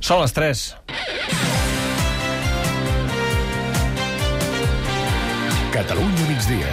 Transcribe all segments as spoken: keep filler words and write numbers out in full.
Són les tres. Catalunya migdia.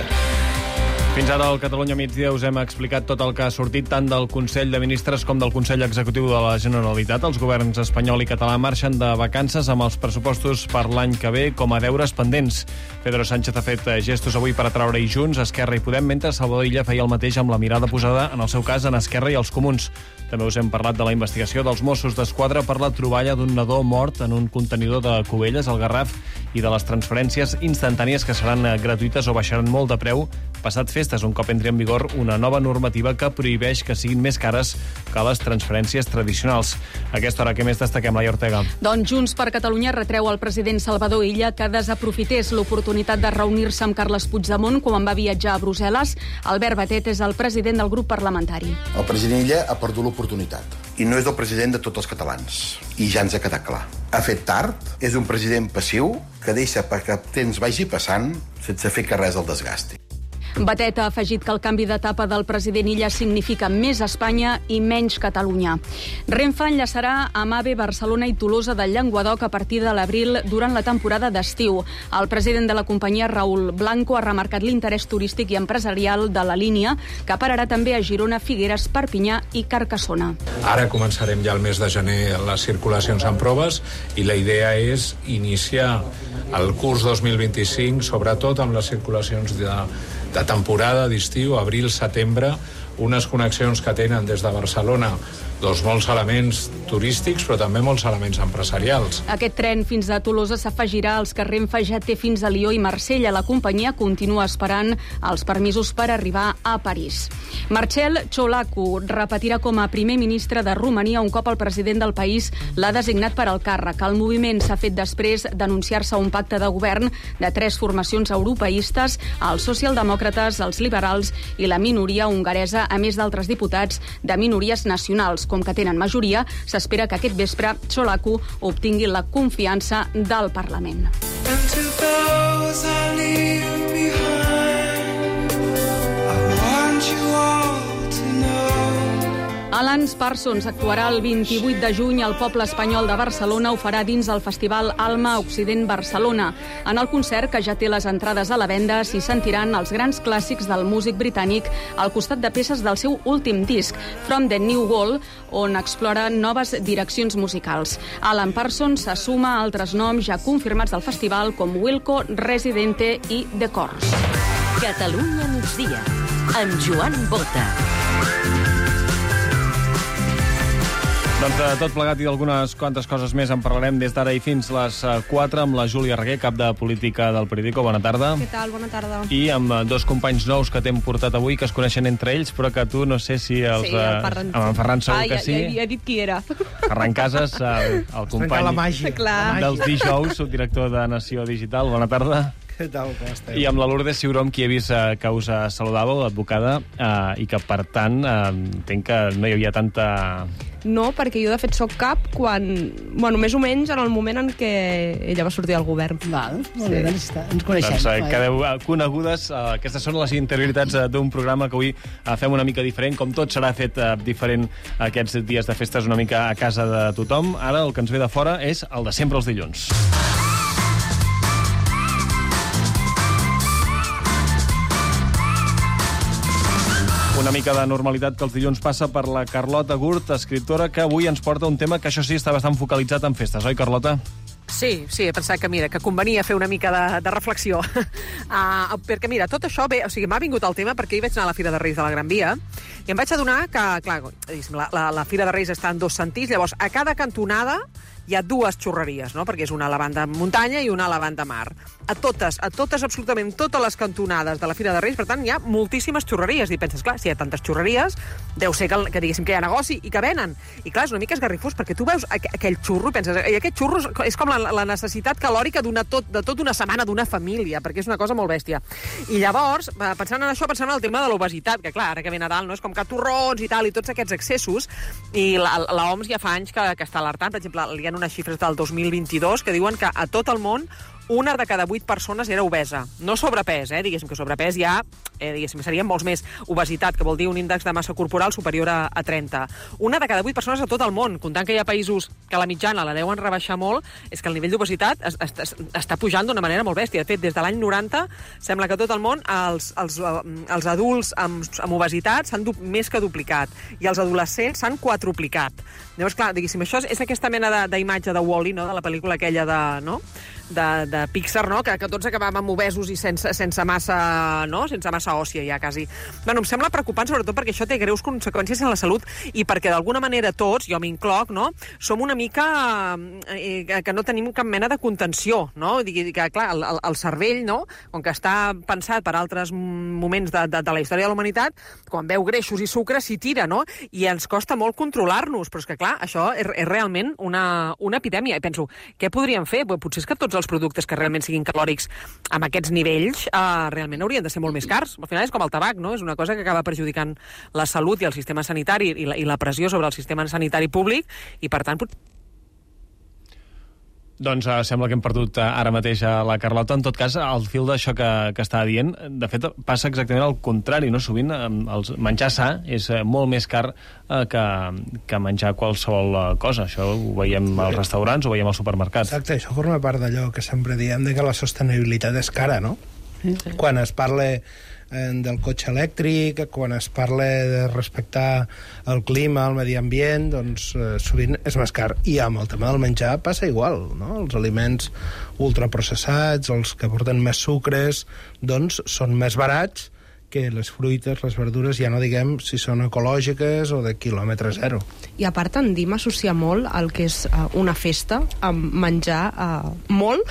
Fins ara al Catalunya migdia us hem explicat tot el que ha sortit tant del Consell de Ministres com del Consell Executiu de la Generalitat. Els governs espanyol i català marxen de vacances amb els pressupostos per l'any que ve com a deures pendents. Pedro Sánchez ha fet gestos avui per atraure-hi Junts, Esquerra i Podem, mentre Salvador Illa feia el mateix amb la mirada posada, en el seu cas, en Esquerra i els Comuns. També us hem parlat de la investigació dels Mossos d'Esquadra per la troballa d'un nadó mort en un contenidor de Cubelles, al Garraf, i de les transferències instantànies que seran gratuïtes o baixaran molt de preu passat festes, un cop entri en vigor una nova normativa que prohibeix que siguin més cares que les transferències tradicionals. A aquesta hora, què més destaquem, Laia Ortega? Doncs Junts per Catalunya retreu al president Salvador Illa que desaprofités l'oportunitat de reunir-se amb Carles Puigdemont quan va viatjar a Brussel·les. Albert Batet és el president del grup parlamentari. El president Illa ha perdut l'oportunitat i no és el president de tots els catalans. I ja ens ha quedat clar. Ha fet tard, és un president passiu que deixa que el temps vagi passant sense fer que res el desgasti. Batet ha afegit que el canvi d'etapa del president Illa significa més Espanya i menys Catalunya. Renfe enllaçarà amb AVE Barcelona i Tolosa del Llenguadoc a partir de l'abril durant la temporada d'estiu. El president de la companyia, Raül Blanco, ha remarcat l'interès turístic i empresarial de la línia, que pararà també a Girona, Figueres, Perpinyà i Carcassona. Ara començarem ja el mes de gener les circulacions en proves i la idea és iniciar el curs dos mil vint-i-cinc, sobretot amb les circulacions de de temporada d'estiu, abril-setembre, unes connexions que tenen des de Barcelona doncs molts elements turístics, però també molts elements empresarials. Aquest tren fins a Tolosa s'afegirà als que Renfe ja té fins a Lió i Marsella. La companyia continua esperant els permisos per arribar a París. Marcel Ciolacu repetirà com a primer ministre de Romania un cop el president del país l'ha designat per al càrrec. El moviment s'ha fet després d'anunciar-se un pacte de govern de tres formacions europeistes, els socialdemòcrates, els liberals i la minoria hongaresa, a més d'altres diputats de minories nacionals. Com que tenen majoria, s'espera que aquest vespre Ciolacu obtingui la confiança del Parlament. Alan Parsons actuarà el vint-i-vuit de juny al Poble Espanyol de Barcelona. Ho farà dins el festival Alma Occident Barcelona. En el concert, que ja té les entrades a la venda, s'hi sentiran els grans clàssics del músic britànic al costat de peces del seu últim disc, From the New Wall, on explora noves direccions musicals. Alan Parsons s'assuma a altres noms ja confirmats del festival, com Wilco, Residente i The Corrs. Catalunya migdia, amb Joan Bota. Doncs de tot plegat i d'algunes quantes coses més en parlarem des d'ara i fins les quatre amb la Júlia Reguer, cap de política del Periódico. Bona tarda. Què tal? Bona tarda. I amb dos companys nous que t'hem portat avui, que es coneixen entre ells, però que tu no sé si els... Sí, el Ferran. Amb en Ferran segur ah, que ja, sí. Ja, ja he dit qui era. Ferran Casas, el, el company la màgia. Clar. dels dijous, subdirector de Nació Digital. Bona tarda. Què tal, com esteu? I amb la Lourdes Ciuró, qui he vist eh, que us saludàveu, advocada, eh, i que, per tant, eh, entenc que no hi havia tanta... No, perquè jo de fet soc cap quan... Bueno, més o menys en el moment en què ella va sortir del govern. Val, molt bé, doncs està, ens coneixem. Doncs eh, quedeu conegudes. Eh, aquestes són les interioritats eh, d'un programa que avui eh, fem una mica diferent. Com tot serà fet eh, diferent aquests dies de festes una mica a casa de tothom. Ara el que ens ve de fora és el de sempre els dilluns. Una mica de normalitat que els dilluns passa per la Carlota Gurt, escriptora, que avui ens porta un tema que això sí està bastant focalitzat en festes, oi, Carlota? Sí, sí, he pensat que, mira, que convenia fer una mica de, de reflexió. uh, perquè, mira, tot això ve... O sigui, m'ha vingut el tema perquè hi vaig anar a la Fira de Reis de la Gran Via i em vaig adonar que, clar, la, la, la Fira de Reis està en dos sentits, llavors a cada cantonada hi ha dues xurreries, no? Perquè és una a la banda muntanya i una a la banda mar. A totes, a totes, absolutament totes les cantonades de la Fira de Reis, per tant, hi ha moltíssimes xurreries. I penses, clar, si hi ha tantes xurreries, deu ser que, que diguéssim que hi ha negoci i que venen. I clar, és una mica esgarrifós, perquè tu veus aqu aquell xurro i penses, i aquest xurro és com la, la necessitat calòrica d'una tot, de tota una setmana d'una família, perquè és una cosa molt bèstia. I llavors, pensant en això, pensant en el tema de l'obesitat, que clar, ara que ve Nadal, no? És com que torrons i tal, i tots aquests excessos, i l'O M S ja fa anys que, que està alertant. Per exemple, hi ha unes xifres del dos mil vint-i-dos que diuen que a tot el món una de cada vuit persones era obesa. No sobrepès, eh? Diguéssim que sobrepès ja, eh, diguéssim, serien molts més. Obesitat, que vol dir un índex de massa corporal superior a, a trenta. Una de cada vuit persones a tot el món, comptant que hi ha països que la mitjana la deuen rebaixar molt, és que el nivell d'obesitat es, es, es, està pujant d'una manera molt bèstia. De fet, des de l'any noranta, sembla que a tot el món els, els, els adults amb, amb obesitat s'han més que duplicat i els adolescents s'han quadruplicat. Llavors, clar, diguéssim, això és, és aquesta mena d'imatge de, de Wall-E, no?, de la pel·lícula aquella de... No? De, de Pixar, no?, que, que tots acabàvem obesos i sense, sense massa, no?, sense massa òssia ja, quasi. Bueno, em sembla preocupant, sobretot perquè això té greus conseqüències en la salut i perquè d'alguna manera tots, jo m'incloc, no?, som una mica eh, que no tenim cap mena de contenció, no? Digui que, clar, el, el, el cervell, no?, com que està pensat per altres moments de, de, de la història de la humanitat, quan veu greixos i sucre s'hi tira, no?, i ens costa molt controlar-nos, però és que, clar, això és, és realment una, una epidèmia. I penso, què podríem fer? Potser és que tots els productes que realment siguin calòrics amb aquests nivells eh, realment haurien de ser molt més cars. Al final és com el tabac, no? És una cosa que acaba perjudicant la salut i el sistema sanitari i la, i la pressió sobre el sistema sanitari públic i, per tant, pot... Doncs uh, sembla que hem perdut uh, ara mateix a la Carlota. En tot cas, al fil d'això que, que estava dient, de fet, passa exactament al contrari, no? Sovint uh, el menjar sa és uh, molt més car uh, que, que menjar qualsevol uh, cosa. Això ho veiem als restaurants, ho veiem als supermercats. Exacte, això forma part d'allò que sempre diem de que la sostenibilitat és cara, no? Sí. Quan es parla del cotxe elèctric, quan es parla de respectar el clima, el medi ambient, doncs eh, sovint és més car. I amb el tema del menjar passa igual, no? Els aliments ultraprocessats, els que porten més sucres, doncs són més barats que les fruites, les verdures, ja no diguem si són ecològiques o de quilòmetre zero. I a part tendim a associar molt el que és uh, una festa amb menjar uh, molt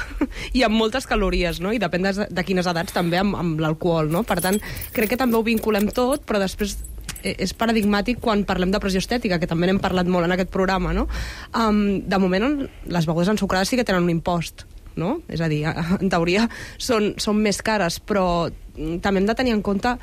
i amb moltes calories, no? I depèn de, de quines edats també amb, amb l'alcohol, no? Per tant, crec que també ho vinculem tot, però després és paradigmàtic quan parlem de pressió estètica, que també n'hem parlat molt en aquest programa, no? Um, de moment, les begudes ensucrades sí que tenen un impost, no? És a dir, en teoria són, són més cares, però també hem de tenir en compte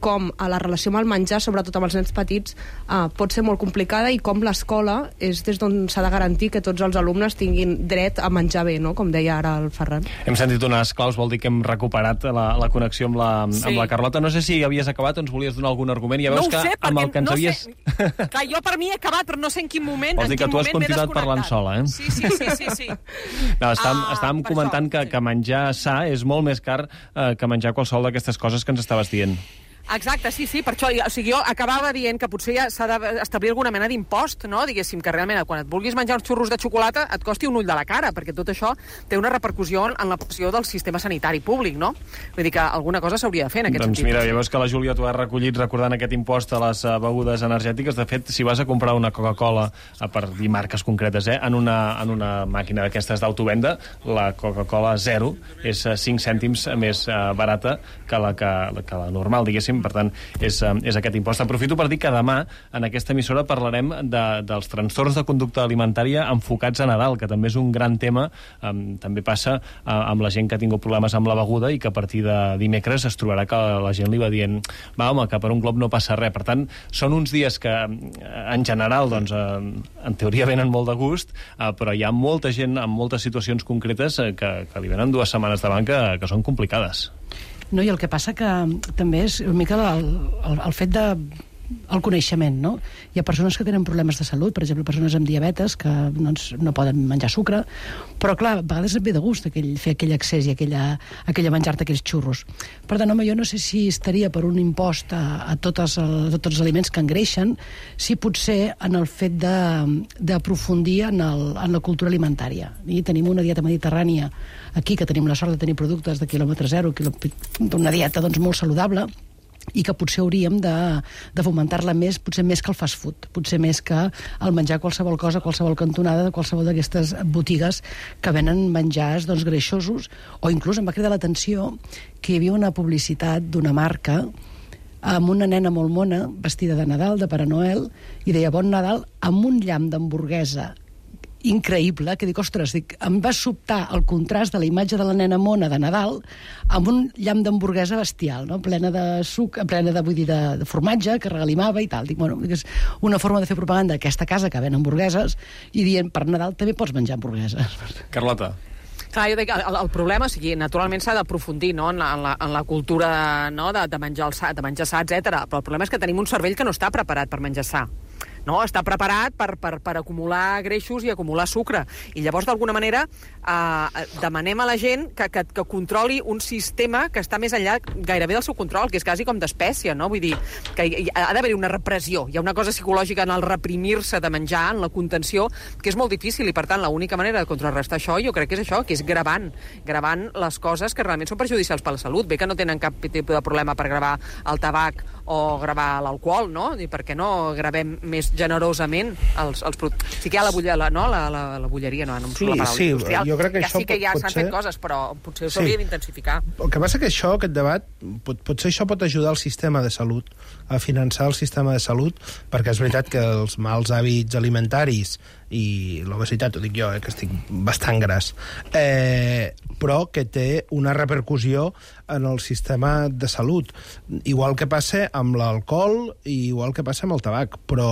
com a la relació amb el menjar, sobretot amb els nens petits, eh, pot ser molt complicada i com l'escola és des d'on s'ha de garantir que tots els alumnes tinguin dret a menjar bé, no?, com deia ara el Ferran. Hem sentit unes claus, vol dir que hem recuperat la, la connexió amb la, sí. amb la Carlota. No sé si havies acabat o ens volies donar algun argument. Ja veus no que sé, amb el que ens no havies... Sé. Clar, jo per mi he acabat, però no sé en quin moment... Vols dir que tu has continuat parlant sola, eh? Sí, sí, sí, sí. sí. No, estàvem, ah, estàvem comentant això, que, sí. que menjar sa és molt més car eh, que menjar qualsevol d'aquestes coses que ens estaves dient. Exacte, sí, sí, per això o sigui, jo acabava dient que potser ja s'ha d'establir alguna mena d'impost, no? Diguéssim que realment quan et vulguis menjar uns xurros de xocolata et costi un ull de la cara, perquè tot això té una repercussió en la pressió del sistema sanitari públic, no? Vull dir que alguna cosa s'hauria de fer en aquest doncs sentit. Doncs mira, ja veus que la Júlia t'ho ha recollit recordant aquest impost a les begudes energètiques. De fet, si vas a comprar una Coca-Cola, per dir marques concretes, eh, en, una, en una màquina d'aquestes d'autovenda, la Coca-Cola zero és cinc cèntims més barata que la, que, que la normal, diguéssim. Per tant, és, és aquest impost. Aprofito per dir que demà en aquesta emissora parlarem de, dels trastorns de conducta alimentària enfocats a Nadal, que també és un gran tema. Um, també passa uh, amb la gent que ha tingut problemes amb la beguda i que a partir de dimecres es trobarà que la gent li va dient va, home, que per un glob no passa res. Per tant, són uns dies que en general, doncs, uh, en teoria venen molt de gust, uh, però hi ha molta gent en moltes situacions concretes uh, que, que li venen dues setmanes davant que, que són complicades. No, i el que passa que també és una mica el, el, el fet de el coneixement, no? Hi ha persones que tenen problemes de salut, per exemple, persones amb diabetes que doncs, no poden menjar sucre, però clar, a vegades et ve de gust aquell, fer aquell accés i aquella, aquella menjar-te aquells xurros. Per tant, home, jo no sé si estaria per un impost a, a, totes, a tots els aliments que engreixen, si potser en el fet d'aprofundir en, el, en la cultura alimentària. I tenim una dieta mediterrània aquí, que tenim la sort de tenir productes de quilòmetre zero, una dieta doncs, molt saludable, i que potser hauríem de, de fomentar-la més, potser més que el fast food, potser més que el menjar qualsevol cosa, qualsevol cantonada de qualsevol d'aquestes botigues que venen menjars doncs, greixosos, o inclús em va cridar l'atenció que hi havia una publicitat d'una marca amb una nena molt mona, vestida de Nadal, de Pare Noel, i deia Bon Nadal, amb un llamp d'hamburguesa increïble, que dic, ostres, dic, em va sobtar el contrast de la imatge de la nena mona de Nadal amb un llamp d'hamburguesa bestial, no? Plena de suc, plena de, vull dir, de, de formatge, que regalimava i tal. Dic, bueno, és una forma de fer propaganda d'aquesta casa que ven hamburgueses i dient, per Nadal també pots menjar hamburgueses. Carlota. Clar, jo dic, el, el problema, o sigui, naturalment s'ha d'aprofundir, no?, en la, en la, en la cultura, no?, de, de menjar el sa, de menjar sa, etcètera. Però el problema és que tenim un cervell que no està preparat per menjar sa. No, està preparat per, per, per acumular greixos i acumular sucre. I llavors, d'alguna manera, eh, demanem a la gent que, que, que controli un sistema que està més enllà gairebé del seu control, que és quasi com d'espècie, no? Vull dir, que hi, ha d'haver una repressió. Hi ha una cosa psicològica en el reprimir-se de menjar, en la contenció, que és molt difícil, i per tant, l'única manera de contrarrestar això, jo crec que és això, que és gravant, gravant les coses que realment són perjudicials per la salut. Bé que no tenen cap tipus de problema per gravar el tabac o gravar l'alcohol, no? I per què no gravem més generosament els, els productes? Sí que hi ha la, bulla, la, no? la, la, la bulleria, no, no em surt sí, la paraula sí, industrial. Jo crec que ja això sí que ja pot s'han ser... fet coses, però potser s'hauria sí. d'intensificar. El que passa que això, aquest debat, pot, potser això pot ajudar el sistema de salut, a finançar el sistema de salut, perquè és veritat que els mals hàbits alimentaris i l'obesitat, ho dic jo, eh, que estic bastant gras, eh, però que té una repercussió en el sistema de salut. Igual que passa amb l'alcohol i igual que passa amb el tabac, però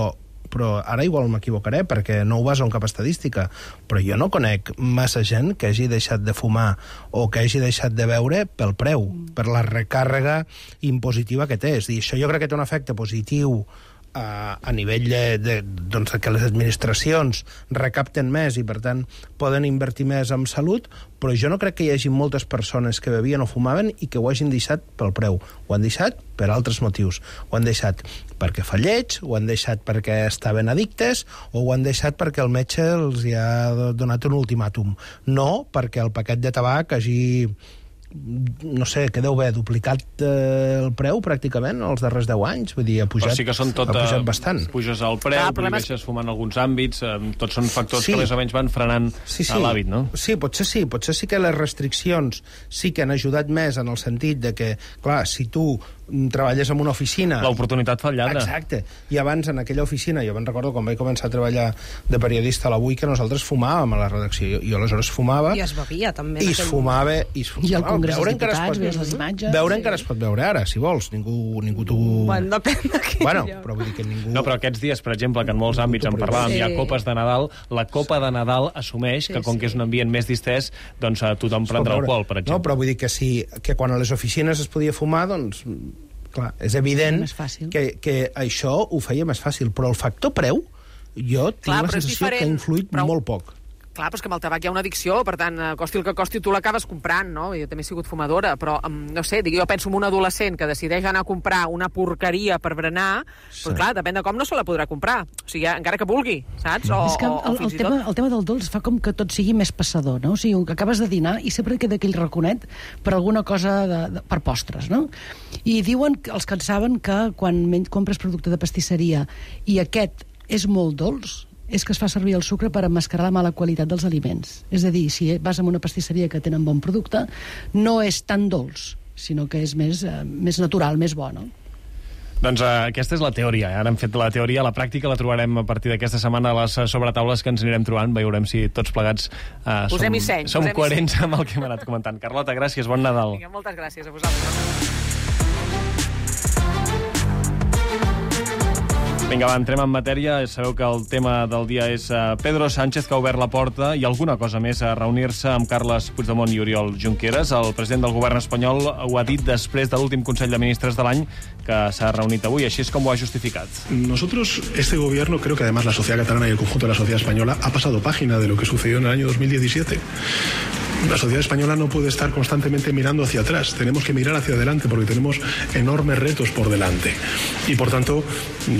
però ara igual m'equivocaré perquè no ho baso en cap estadística, però jo no conec massa gent que hagi deixat de fumar o que hagi deixat de beure pel preu, per la recàrrega impositiva que té. És a dir, això jo crec que té un efecte positiu a, a nivell de, de, doncs, que les administracions recapten més i, per tant, poden invertir més en salut, però jo no crec que hi hagi moltes persones que bevien o fumaven i que ho hagin deixat pel preu. Ho han deixat per altres motius. Ho han deixat perquè fa lleig, ho han deixat perquè estaven addictes o ho han deixat perquè el metge els hi ha donat un ultimàtum. No perquè el paquet de tabac hagi, no sé, que deu haver duplicat eh, el preu pràcticament els darrers deu anys, vull dir, ha pujat, però sí que són tot, ha pujat bastant. Puges el preu, ah, prohibeixes fumar en alguns àmbits, eh, tots són factors sí. que més o menys van frenant sí, sí. l'hàbit, no? Sí, potser sí, potser sí que les restriccions sí que han ajudat més en el sentit de que, clar, si tu treballes en una oficina... L'oportunitat fa el lladre. Exacte. I abans, en aquella oficina, jo me'n recordo quan vaig començar a treballar de periodista a l'Avui, que nosaltres fumàvem a la redacció. Jo, jo aleshores fumava... I es bevia, també. I es fumava... I, es fumava. I al Congrés dels Diputats, veus les imatges... Veure sí. encara es pot veure ara, si vols. Ningú, ningú t'ho... Bueno, depèn de quin bueno, lloc. però vull dir que ningú... No, però aquests dies, per exemple, que en molts àmbits en parlàvem, sí. hi ha copes de Nadal, la copa de Nadal assumeix sí, que, com sí. que és un ambient més distès, doncs tothom prendrà alcohol, per exemple. No, però vull dir que, si, que quan a les oficines es podia fumar, doncs... Clar, és evident que, que això ho feia més fàcil, però el factor preu, jo tinc Clar, la sensació que ha influït però... molt poc. Clar, però és que amb el tabac hi ha una addicció, per tant, costi el que costi, tu l'acabes comprant, no? Jo també he sigut fumadora, però, no sé, jo penso en un adolescent que decideix anar a comprar una porqueria per berenar, sí. però clar, depèn de com no se la podrà comprar. O sigui, encara que vulgui, saps? O, és que el, o, o el, tema, el tema del dolç fa com que tot sigui més passador, no? O sigui, que acabes de dinar i sempre queda aquell raconet per alguna cosa de, de, per postres, no? I diuen, els que en saben, que quan compres producte de pastisseria i aquest és molt dolç, és que es fa servir el sucre per emmascarar la mala qualitat dels aliments. És a dir, si vas a una pastisseria que tenen bon producte, no és tan dolç, sinó que és més, eh, més natural, més bo, no? Doncs uh, aquesta és la teoria. Ara hem fet la teoria, la pràctica la trobarem a partir d'aquesta setmana a les sobretaules que ens anirem trobant. Veurem si tots plegats uh, som, seny, som coherents amb el que hem anat comentant. Carlota, gràcies, bon Nadal. Vinga, moltes gràcies a vosaltres. Vinga, va, entrem en matèria. Sabeu que el tema del dia és uh, Pedro Sánchez, que ha obert la porta, i alguna cosa més, a reunir-se amb Carles Puigdemont i Oriol Junqueras. El president del govern espanyol ho ha dit després de l'últim Consell de Ministres de l'any, que s'ha reunit avui. Així és com ho ha justificat. Nosotros, este gobierno, creo que además la sociedad catalana y el conjunto de la sociedad española ha pasado página de lo que sucedió en el año dos mil diecisiete. La sociedad española no puede estar constantemente mirando hacia atrás. Tenemos que mirar hacia adelante porque tenemos enormes retos por delante. Y, por tanto,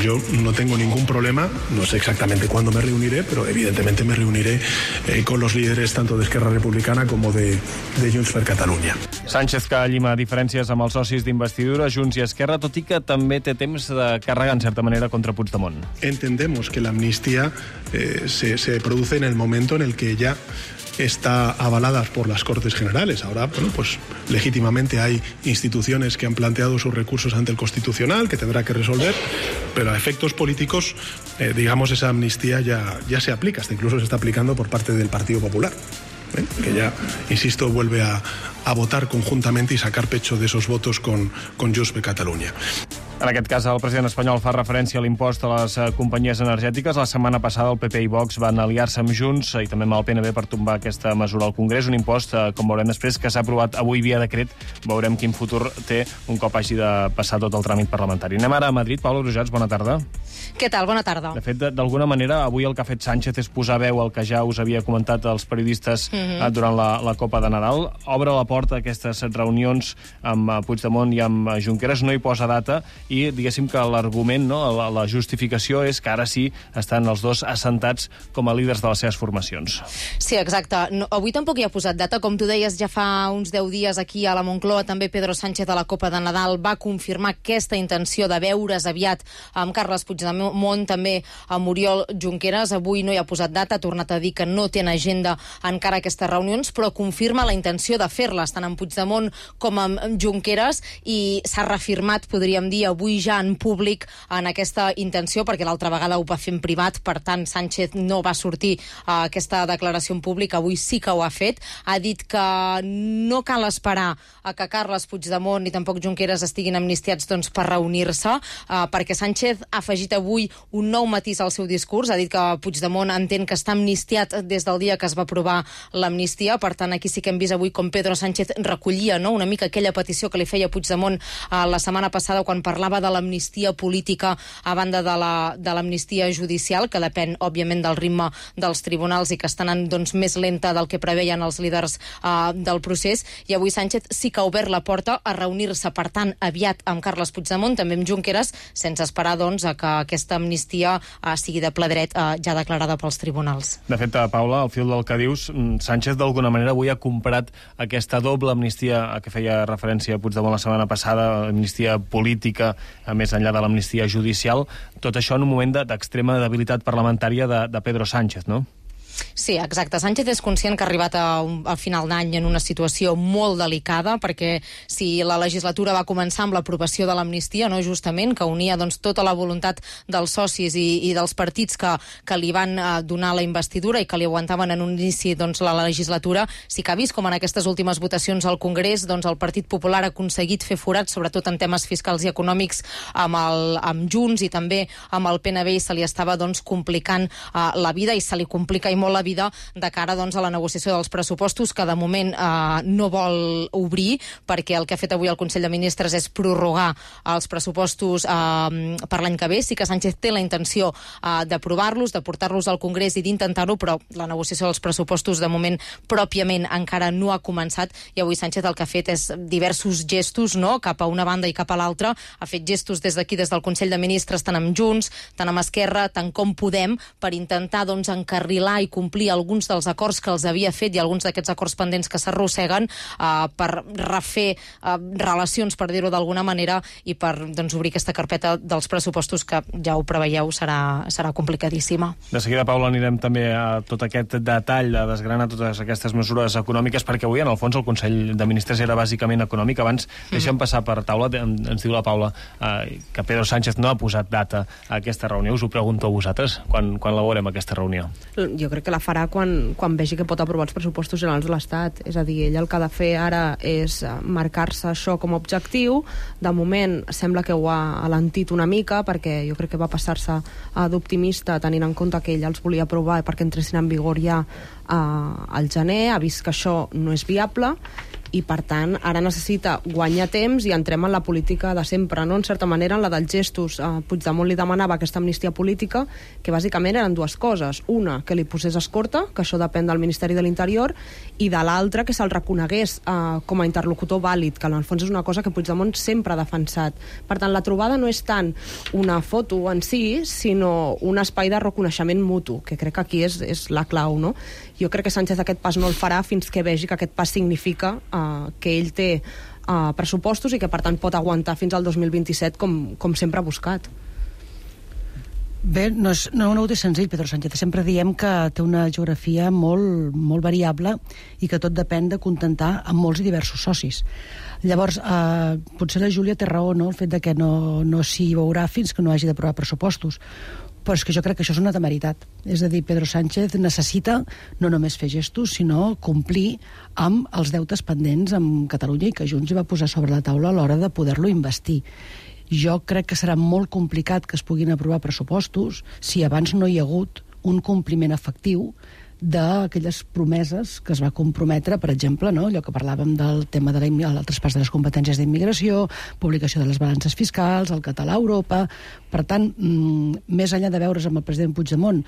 yo no tengo ningún problema, no sé exactamente cuándo me reuniré, pero evidentemente me reuniré eh, con los líderes tanto de Esquerra Republicana como de, de Junts per Catalunya. Sánchez, que llima diferències amb els socis d'investidura, Junts i Esquerra, tot i que també té temps de carregar, en certa manera, contra Puigdemont. Entendemos que la amnistía eh, se, se produce en el momento en el que ya está avalada por las Cortes Generales. Ahora, bueno, pues legítimamente hay instituciones que han planteado sus recursos ante el Constitucional, que tendrá que resolver, pero a efectos políticos, eh, digamos, esa amnistía ya, ya se aplica, hasta incluso se está aplicando por parte del Partido Popular, ¿eh? que ya, insisto, vuelve a, a votar conjuntamente y sacar pecho de esos votos con, con Junts per Catalunya. En aquest cas, el president espanyol fa referència a l'impost a les companyies energètiques. La setmana passada el P P i Vox van aliar-se amb Junts i també amb el P N B per tombar aquesta mesura al Congrés. Un impost, com veurem després, que s'ha aprovat avui via decret. Veurem quin futur té un cop hagi de passar tot el tràmit parlamentari. Anem ara a Madrid. Paula Brujats, bona tarda. Què tal? Bona tarda. De fet, d'alguna manera, avui el que ha fet Sánchez és posar veu al que ja us havia comentat els periodistes mm-hmm. durant la, la Copa de Nadal. Obre la porta a aquestes reunions amb Puigdemont i amb Junqueras, no hi posa data i, diguéssim, que l'argument, no, la, la justificació és que ara sí estan els dos assentats com a líders de les seves formacions. Sí, exacte. No, avui tampoc hi ha posat data. Com tu deies, ja fa uns deu dies aquí a la Moncloa, també Pedro Sánchez a la Copa de Nadal va confirmar aquesta intenció de veure's aviat amb Carles Puigdemont, també amb Oriol Junqueras. Avui no hi ha posat data, ha tornat a dir que no té en agenda encara aquestes reunions, però confirma la intenció de fer-les, tant amb Puigdemont com amb Junqueras, i s'ha reafirmat, podríem dir, avui ja en públic en aquesta intenció, perquè l'altra vegada ho va fer en privat, per tant Sánchez no va sortir a aquesta declaració en públic, avui sí que ho ha fet. Ha dit que no cal esperar a que Carles Puigdemont ni tampoc Junqueras estiguin amnistiats doncs, per reunir-se, eh, perquè Sánchez ha afegit avui un nou matís al seu discurs, ha dit que Puigdemont entén que està amnistiat des del dia que es va aprovar l'amnistia, per tant aquí sí que hem vist avui com Pedro Sánchez recollia, no?, una mica aquella petició que li feia Puigdemont eh, la setmana passada quan parlava de l'amnistia política a banda de la, de l'amnistia judicial, que depèn, òbviament, del ritme dels tribunals i que està anant doncs, més lenta del que preveien els líders uh, del procés. I avui Sánchez sí que ha obert la porta a reunir-se, per tant, aviat amb Carles Puigdemont, també amb Junqueras, sense esperar doncs, a que aquesta amnistia uh, sigui de ple dret uh, ja declarada pels tribunals. De fet, Paula, al fil del que dius, Sánchez d'alguna manera avui ha comprat aquesta doble amnistia a què feia referència Puigdemont la setmana passada, amnistia política, a més enllà de l'amnistia judicial, tot això en un moment d'extrema debilitat parlamentària de, de Pedro Sánchez, no? Sí, exacte. Sánchez és conscient que ha arribat a un, al final d'any en una situació molt delicada, perquè si la legislatura va començar amb l'aprovació de l'amnistia, no, justament, que unia doncs, tota la voluntat dels socis i, i dels partits que, que li van eh, donar la investidura i que li aguantaven en un inici doncs, la legislatura, sí que ha vist com en aquestes últimes votacions al Congrés doncs, el Partit Popular ha aconseguit fer forat, sobretot en temes fiscals i econòmics, amb, el, amb Junts i també amb el P N B, i se li estava doncs, complicant eh, la vida, i se li complica i molt la vida de cara doncs, a la negociació dels pressupostos, que de moment eh, no vol obrir, perquè el que ha fet avui el Consell de Ministres és prorrogar els pressupostos eh, per l'any que ve. Sí que Sánchez té la intenció eh, d'aprovar-los, de portar-los al Congrés i d'intentar-ho, però la negociació dels pressupostos de moment pròpiament encara no ha començat, i avui Sánchez el que ha fet és diversos gestos, no?, cap a una banda i cap a l'altra. Ha fet gestos des d'aquí, des del Consell de Ministres, tant amb Junts, tant amb Esquerra, tant com Podem, per intentar doncs, encarrilar i complir alguns dels acords que els havia fet i alguns d'aquests acords pendents que s'arrosseguen uh, per refer uh, relacions, per dir-ho d'alguna manera, i per doncs, obrir aquesta carpeta dels pressupostos que, ja ho preveieu, serà, serà complicadíssima. De seguida, Paula, anirem també a tot aquest detall, a desgranar totes aquestes mesures econòmiques, perquè avui, en el fons, el Consell de Ministres era bàsicament econòmic. Abans, mm. deixem passar per taula, ens diu la Paula uh, que Pedro Sánchez no ha posat data a aquesta reunió. Us ho pregunto a vosaltres, quan, quan la veurem, aquesta reunió? Jo crec que la farà quan, quan vegi que pot aprovar els pressupostos generals de l'Estat. És a dir, ell el que ha de fer ara és marcar-se això com a objectiu. De moment sembla que ho ha alentit una mica, perquè jo crec que va passar-se d'optimista tenint en compte que ell els volia aprovar perquè entressin en vigor ja eh, al gener. Ha vist que això no és viable i, per tant, ara necessita guanyar temps i entrem en la política de sempre, no? En certa manera, en la dels gestos. Eh, Puigdemont li demanava aquesta amnistia política, que bàsicament eren dues coses. Una, que li posés escorta, que això depèn del Ministeri de l'Interior, i de l'altra, que se'l reconegués eh, com a interlocutor vàlid, que en el fons és una cosa que Puigdemont sempre ha defensat. Per tant, la trobada no és tant una foto en si, sinó un espai de reconeixement mutu, que crec que aquí és, és la clau, no? Jo crec que Sánchez aquest pas no el farà fins que vegi que aquest pas significa uh, que ell té uh, pressupostos i que, per tant, pot aguantar fins al dos mil vint-i-set com, com sempre ha buscat. Bé, no, és, no, no ho té senzill, Pedro Sánchez. Sempre diem que té una geografia molt, molt variable i que tot depèn de contentar amb molts i diversos socis. Llavors, eh, potser la Júlia té raó, no?, el fet de que no, no s'hi veurà fins que no hagi d'aprovar pressupostos. Però és que jo crec que això és una temeritat. És a dir, Pedro Sánchez necessita no només fer gestos, sinó complir amb els deutes pendents amb Catalunya i que Junts hi va posar sobre la taula a l'hora de poder-lo investir. Jo crec que serà molt complicat que es puguin aprovar pressupostos si abans no hi ha hagut un compliment efectiu d'aquelles promeses que es va comprometre, per exemple, no? Allò que parlàvem del tema del traspàs de les competències d'immigració, publicació de les balances fiscals, el català a Europa. Per tant, mmm, més enllà de veure's amb el president Puigdemont,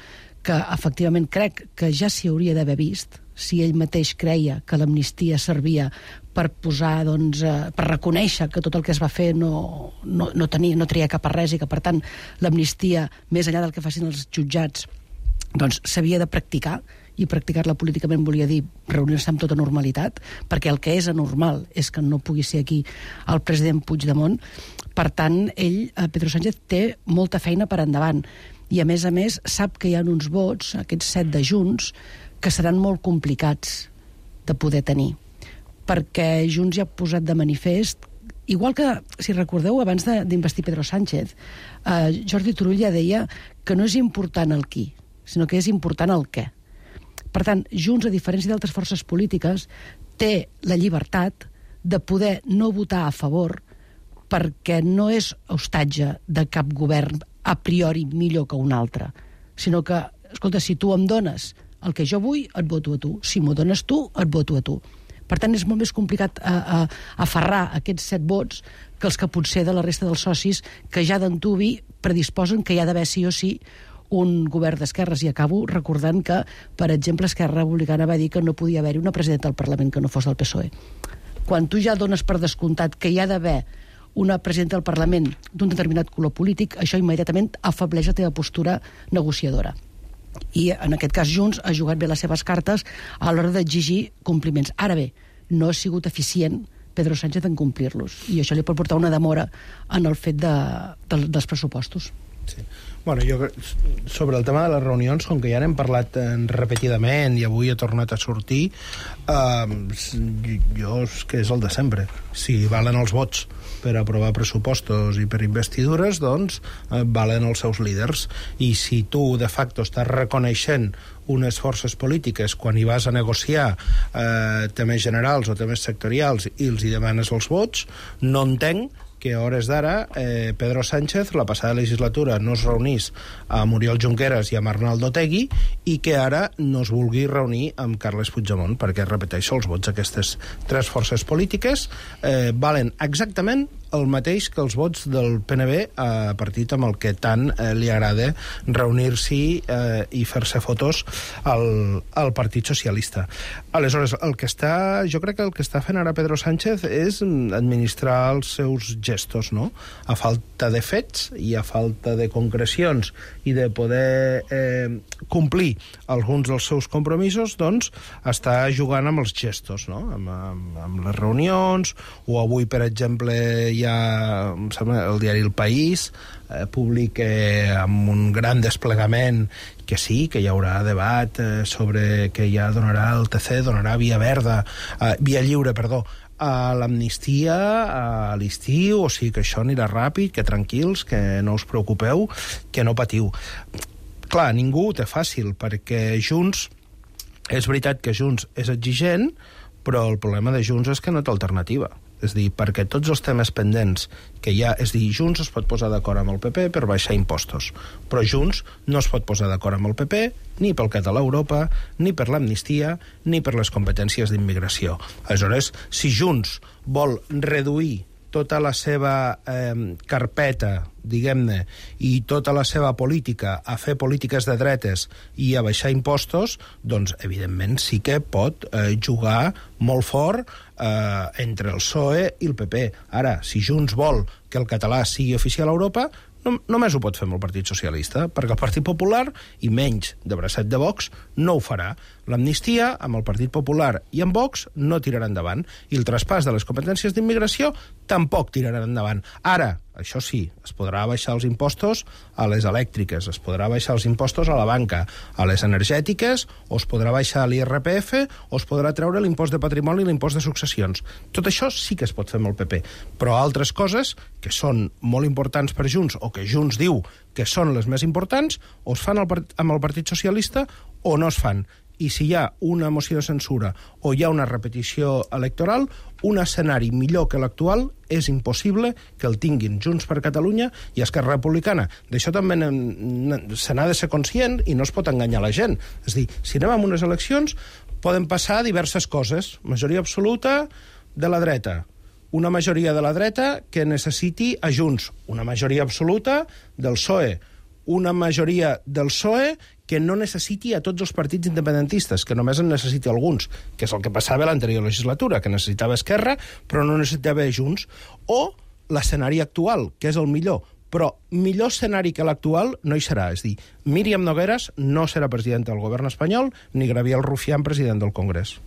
que efectivament crec que ja s'hi hauria d'haver vist, si ell mateix creia que l'amnistia servia per posar, doncs, eh, per reconèixer que tot el que es va fer no, no, no, tenia, no tria cap a res i que, per tant, l'amnistia, més enllà del que facin els jutjats, doncs s'havia de practicar, i practicar-la políticament volia dir reunir-se amb tota normalitat, perquè el que és anormal és que no pugui ser aquí el president Puigdemont. Per tant, ell, Pedro Sánchez, té molta feina per endavant. I, a més a més, sap que hi ha uns vots, aquests set de Junts, que seran molt complicats de poder tenir. Perquè Junts ja ha posat de manifest, igual que, si recordeu, abans d'investir Pedro Sánchez, eh, Jordi Turull ja deia que no és important el qui, sinó que és important el què. Per tant, Junts, a diferència d'altres forces polítiques, té la llibertat de poder no votar a favor perquè no és hostatge de cap govern a priori millor que un altre, sinó que, escolta, si tu em dones el que jo vull, et voto a tu. Si m'ho dones tu, et voto a tu. Per tant, és molt més complicat a, a, aferrar aquests set vots que els que potser de la resta dels socis que ja d'antuvi predisposen que hi ha d'haver sí o sí un govern d'esquerres, i acabo recordant que, per exemple, Esquerra Republicana va dir que no podia haver-hi una presidenta del Parlament que no fos del P S O E. Quan tu ja dones per descomptat que hi ha d'haver una presidenta del Parlament d'un determinat color polític, això immediatament afebleix la teva postura negociadora. I, en aquest cas, Junts ha jugat bé les seves cartes a l'hora d'exigir compliments. Ara bé, no ha sigut eficient Pedro Sánchez en complir-los, i això li pot portar una demora en el fet de, de, dels pressupostos. Sí. Bueno, jo, sobre el tema de les reunions, com que ja n'hem parlat eh, repetidament i avui ha tornat a sortir, eh, jo és que és el de sempre. Si valen els vots per aprovar pressupostos i per investidures, doncs eh, valen els seus líders. I si tu, de facto, estàs reconeixent unes forces polítiques quan hi vas a negociar eh, temes generals o temes sectorials i els hi demanes els vots, no entenc que a hores d'ara eh, Pedro Sánchez la passada legislatura no es reunís amb Oriol Junqueras i amb Arnaldo Otegi i que ara no es vulgui reunir amb Carles Puigdemont, perquè, repeteixo, els vots d'aquestes tres forces polítiques eh, valen exactament el mateix que els vots del P N B, a partit amb el que tant eh, li agrada reunir-s'hi eh, i fer-se fotos al, al Partit Socialista. Aleshores, el que està, jo crec que el que està fent ara Pedro Sánchez és administrar els seus gestos, no? A falta de fets i a falta de concrecions i de poder eh, complir alguns dels seus compromisos, doncs està jugant amb els gestos, no? Amb, amb, amb les reunions, o avui, per exemple, hi ha, em sembla, el diari El País eh, publica eh, amb un gran desplegament que sí, que hi haurà debat eh, sobre que ja donarà el T C, donarà via verda, eh, via lliure, perdó, a l'amnistia a l'estiu, o sigui que això anirà ràpid, que tranquils, que no us preocupeu, que no patiu. Clar, ningú ho té fàcil, perquè Junts, és veritat que Junts és exigent, però el problema de Junts és que no té alternativa. És dir, perquè tots els temes pendents que hi ha... És dir, Junts es pot posar d'acord amb el P P per baixar impostos, però Junts no es pot posar d'acord amb el P P ni pel català a Europa, ni per l'amnistia, ni per les competències d'immigració. Aleshores, si Junts vol reduir tota la seva eh, carpeta, diguem-ne, i tota la seva política a fer polítiques de dretes i a baixar impostos, doncs, evidentment, sí que pot eh, jugar molt fort eh, entre el P S O E i el P P. Ara, si Junts vol que el català sigui oficial a Europa, no, només ho pot fer amb el Partit Socialista, perquè el Partit Popular, i menys de bracet de Vox, no ho farà. L'amnistia, amb el Partit Popular i amb Vox, no tirarà endavant. I el traspàs de les competències d'immigració tampoc tirarà endavant. Ara, això sí, es podrà baixar els impostos a les elèctriques, es podrà baixar els impostos a la banca, a les energètiques, o es podrà baixar l'I R P F, o es podrà treure l'impost de patrimoni i l'impost de successions. Tot això sí que es pot fer amb el P P, però altres coses que són molt importants per Junts, o que Junts diu que són les més importants, o es fan amb el Partit Socialista o no es fan. i si hi ha una moció de censura o hi ha una repetició electoral, un escenari millor que l'actual és impossible que el tinguin Junts per Catalunya i Esquerra Republicana. D'això també se n'ha de ser conscient i no es pot enganyar la gent. És a dir, si anem a unes eleccions, poden passar diverses coses. Majoria absoluta de la dreta, una majoria de la dreta que necessiti a Junts, una majoria absoluta del P S O E, una majoria del P S O E que no necessiti a tots els partits independentistes, que només en necessiti alguns, que és el que passava a l'anterior legislatura, que necessitava Esquerra, però no necessitava Junts, o l'escenari actual, que és el millor. Però millor escenari que l'actual no hi serà. És a dir, Míriam Nogueras no serà presidenta del govern espanyol, ni Gabriel Rufián president del Congrés.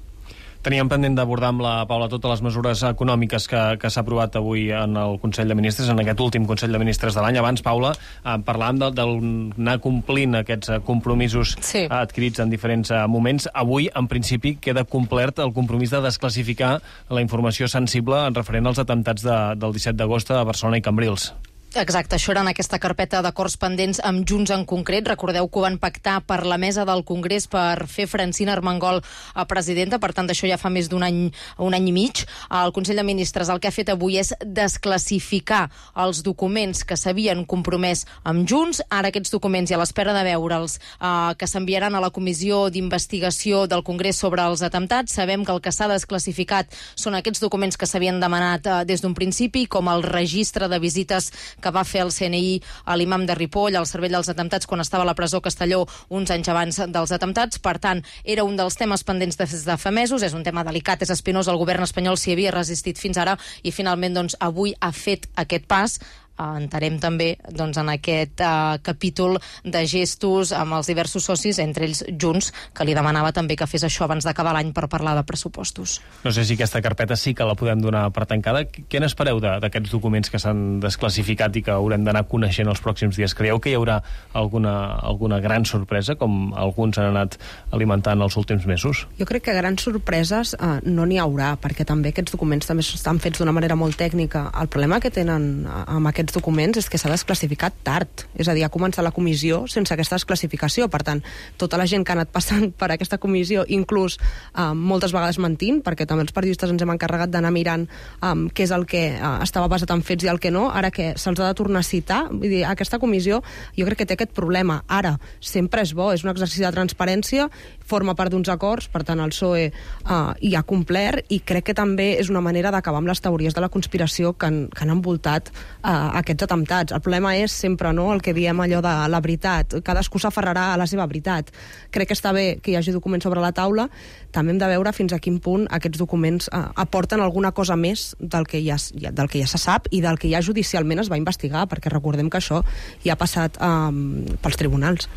Teníem pendent d'abordar amb la Paula totes les mesures econòmiques que, que s'ha aprovat avui en el Consell de Ministres, en aquest últim Consell de Ministres de l'any. Abans, Paula, eh, parlàvem d'anar complint aquests compromisos sí. adquirits en diferents moments. Avui, en principi, queda complert el compromís de desclassificar la informació sensible en referent als atemptats de, del disset d'agost a Barcelona i Cambrils. Exacte, això era en aquesta carpeta d'acords pendents amb Junts en concret. Recordeu que ho van pactar per la mesa del Congrés per fer Francina Armengol a presidenta, per tant, d'això ja fa més d'un any, un any i mig. El Consell de Ministres el que ha fet avui és desclassificar els documents que s'havien compromès amb Junts. Ara aquests documents, i a l'espera de veure'ls, eh, que s'enviaran a la Comissió d'Investigació del Congrés sobre els atemptats, sabem que el que s'ha desclassificat són aquests documents que s'havien demanat eh, des d'un principi, com el registre de visites que va fer el C N I a l'imam de Ripoll, al cervell dels atemptats, quan estava a la presó Castelló uns anys abans dels atemptats. Per tant, era un dels temes pendents des de fa mesos, és un tema delicat, és espinós, el govern espanyol s'hi havia resistit fins ara i finalment doncs, avui ha fet aquest pas. Entarem també doncs, en aquest uh, capítol de gestos amb els diversos socis, entre ells Junts, que li demanava també que fes això abans d'acabar l'any per parlar de pressupostos. No sé si aquesta carpeta sí que la podem donar per tancada. Què n'espereu d'aquests documents que s'han desclassificat i que haurem d'anar coneixent els pròxims dies? Creieu que hi haurà alguna, alguna gran sorpresa, com alguns han anat alimentant els últims mesos? Jo crec que grans sorpreses uh, no n'hi haurà, perquè també aquests documents també estan fets d'una manera molt tècnica. El problema que tenen uh, amb aquests documents és que s'ha desclassificat tard, és a dir, ha començat la comissió sense aquesta desclassificació. Per tant, tota la gent que ha anat passant per aquesta comissió, inclús eh, moltes vegades mentint, perquè també els periodistes ens hem encarregat d'anar mirant eh, què és el que eh, estava basat en fets i el que no, ara que se'ls ha de tornar a citar, vull dir, aquesta comissió jo crec que té aquest problema. Ara, sempre és bo, és un exercici de transparència, forma part d'uns acords, per tant el P S O E eh, hi ha complert, i crec que també és una manera d'acabar amb les teories de la conspiració que han, que han envoltat eh, aquests atemptats. El problema és sempre no el que diem allò de la veritat. Cadascú s'aferrarà a la seva veritat. Crec que està bé que hi hagi documents sobre la taula. També hem de veure fins a quin punt aquests documents eh, aporten alguna cosa més del que, ja, del que ja se sap i del que ja judicialment es va investigar, perquè recordem que això ja ha passat eh, pels tribunals.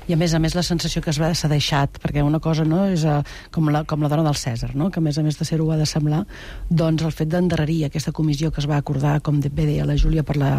I a més a més la sensació que s'ha deixat, perquè una cosa no és uh, com, la, com la dona del Cèsar, no? Que a més a més de ser-ho ha de semblar, doncs el fet d'endarrerir aquesta comissió que es va acordar, com bé deia la Júlia, per, la,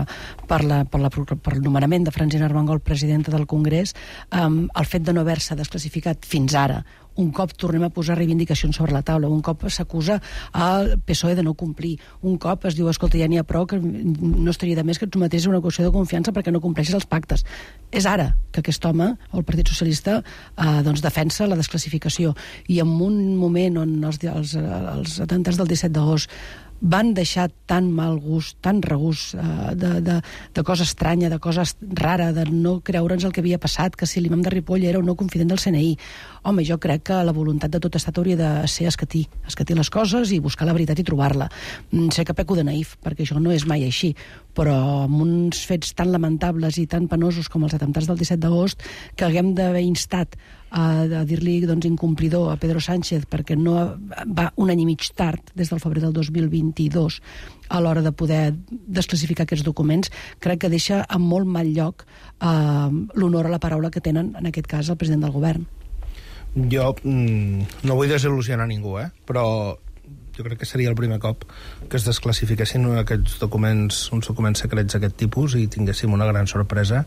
per, la, per, la, per el nomenament de Francina Armengol presidenta del Congrés, um, el fet de no haver-se desclassificat fins ara, un cop tornem a posar reivindicacions sobre la taula, un cop s'acusa al P S O E de no complir, un cop es diu, escolta, ja n'hi ha prou, que no estaria de més que et sometés a una qüestió de confiança perquè no compleixes els pactes. És ara que aquest home, el Partit Socialista, eh, doncs defensa la desclassificació, i en un moment on els, els, els atemptats del disset d'agost van deixar tan mal gust, tan regust eh, de, de, de cosa estranya, de cosa rara, de no creure'ns el que havia passat, que si l'imam de Ripoll era un no confident del C N I. Home, jo crec que la voluntat de tot estat hauria de ser escatir, escatir les coses i buscar la veritat i trobar-la. Sé que peco de naïf, perquè això no és mai així, però amb uns fets tan lamentables i tan penosos com els atemptats del disset d'agost, que haguem d'haver instat a, a dir-li doncs, incomplidor a Pedro Sánchez perquè no va un any i mig tard, des del febrer del dos mil vint-i-dos, a l'hora de poder desclassificar aquests documents, crec que deixa en molt mal lloc eh, l'honor a la paraula que tenen, en aquest cas, el president del govern. Jo mm, no vull desil·lusionar ningú, eh? Però Jo crec que seria el primer cop que es desclassifiquessin aquests documents, uns documents secrets d'aquest tipus i tinguéssim una gran sorpresa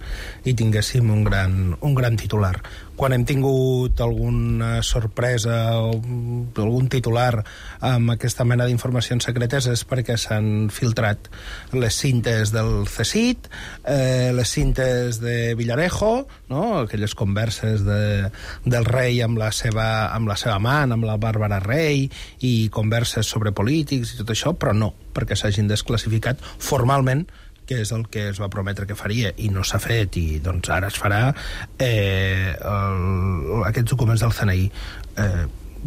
i tinguéssim un gran, un gran titular. Quan hem tingut alguna sorpresa o algun titular amb aquesta mena d'informacions secretes és perquè s'han filtrat les cintes del C S I T, eh, les cintes de Villarejo, no? Aquelles converses de, del rei amb la seva, amb la seva amant, amb la Bàrbara Rey, i converses sobre polítics i tot això, però no, perquè s'hagin desclassificat formalment, que és el que es va prometre que faria i no s'ha fet, i doncs ara es farà eh, el, aquests documents del C N I. Eh,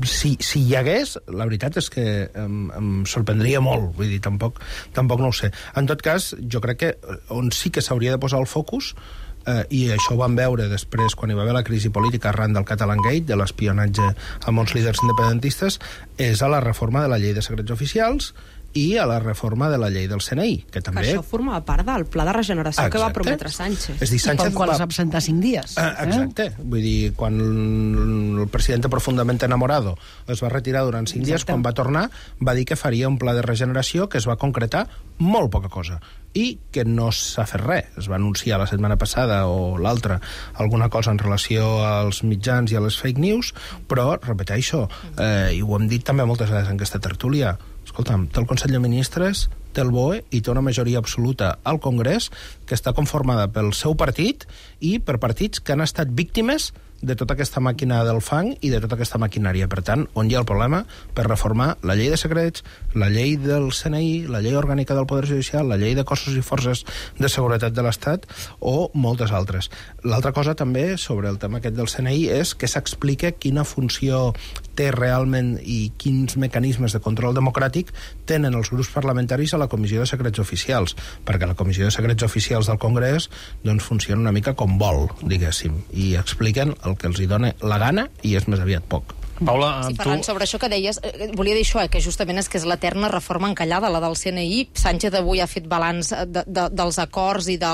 si, si hi hagués, la veritat és que em, em sorprendria molt, vull dir, tampoc, tampoc no ho sé. En tot cas, jo crec que on sí que s'hauria de posar el focus, eh, i això ho vam veure després quan hi va haver la crisi política arran del Catalangate, de l'espionatge a molts líders independentistes, és a la reforma de la llei de secrets oficials i a la reforma de la llei del C N I, que també... Que això formava part del pla de regeneració exacte. Que va prometre Sánchez. És dir, Sánchez I pel qual va... es va presentar cinc dies. Ah, exacte. Eh? Vull dir, quan el president profundament enamorado es va retirar durant cinc exacte. dies, quan va tornar, va dir que faria un pla de regeneració que es va concretar molt poca cosa i que no s'ha fet res. Es va anunciar la setmana passada o l'altra alguna cosa en relació als mitjans i a les fake news, però, repeteixo, eh, i ho hem dit també moltes vegades en aquesta tertúlia, escolta'm, té el Consell de Ministres, té el B O E i té una majoria absoluta al Congrés que està conformada pel seu partit i per partits que han estat víctimes de tota aquesta màquina del fang i de tota aquesta maquinària. Per tant, on hi ha el problema per reformar la llei de secrets, la llei del C N I, la llei orgànica del Poder Judicial, la llei de cossos i forces de seguretat de l'Estat o moltes altres. L'altra cosa també sobre el tema aquest del C N I és que s'explica quina funció té realment i quins mecanismes de control democràtic tenen els grups parlamentaris a la Comissió de Secrets Oficials, perquè la Comissió de Secrets Oficials del Congrés doncs funciona una mica com vol, diguéssim, i expliquen el que els hi dona la gana i és més aviat poc. Paula, sí, tu... Ferran, sobre això que deies, eh, volia dir això, eh, que justament és que és l'eterna reforma encallada, la del C N I. Sánchez avui ha fet balanç de, de, dels acords i de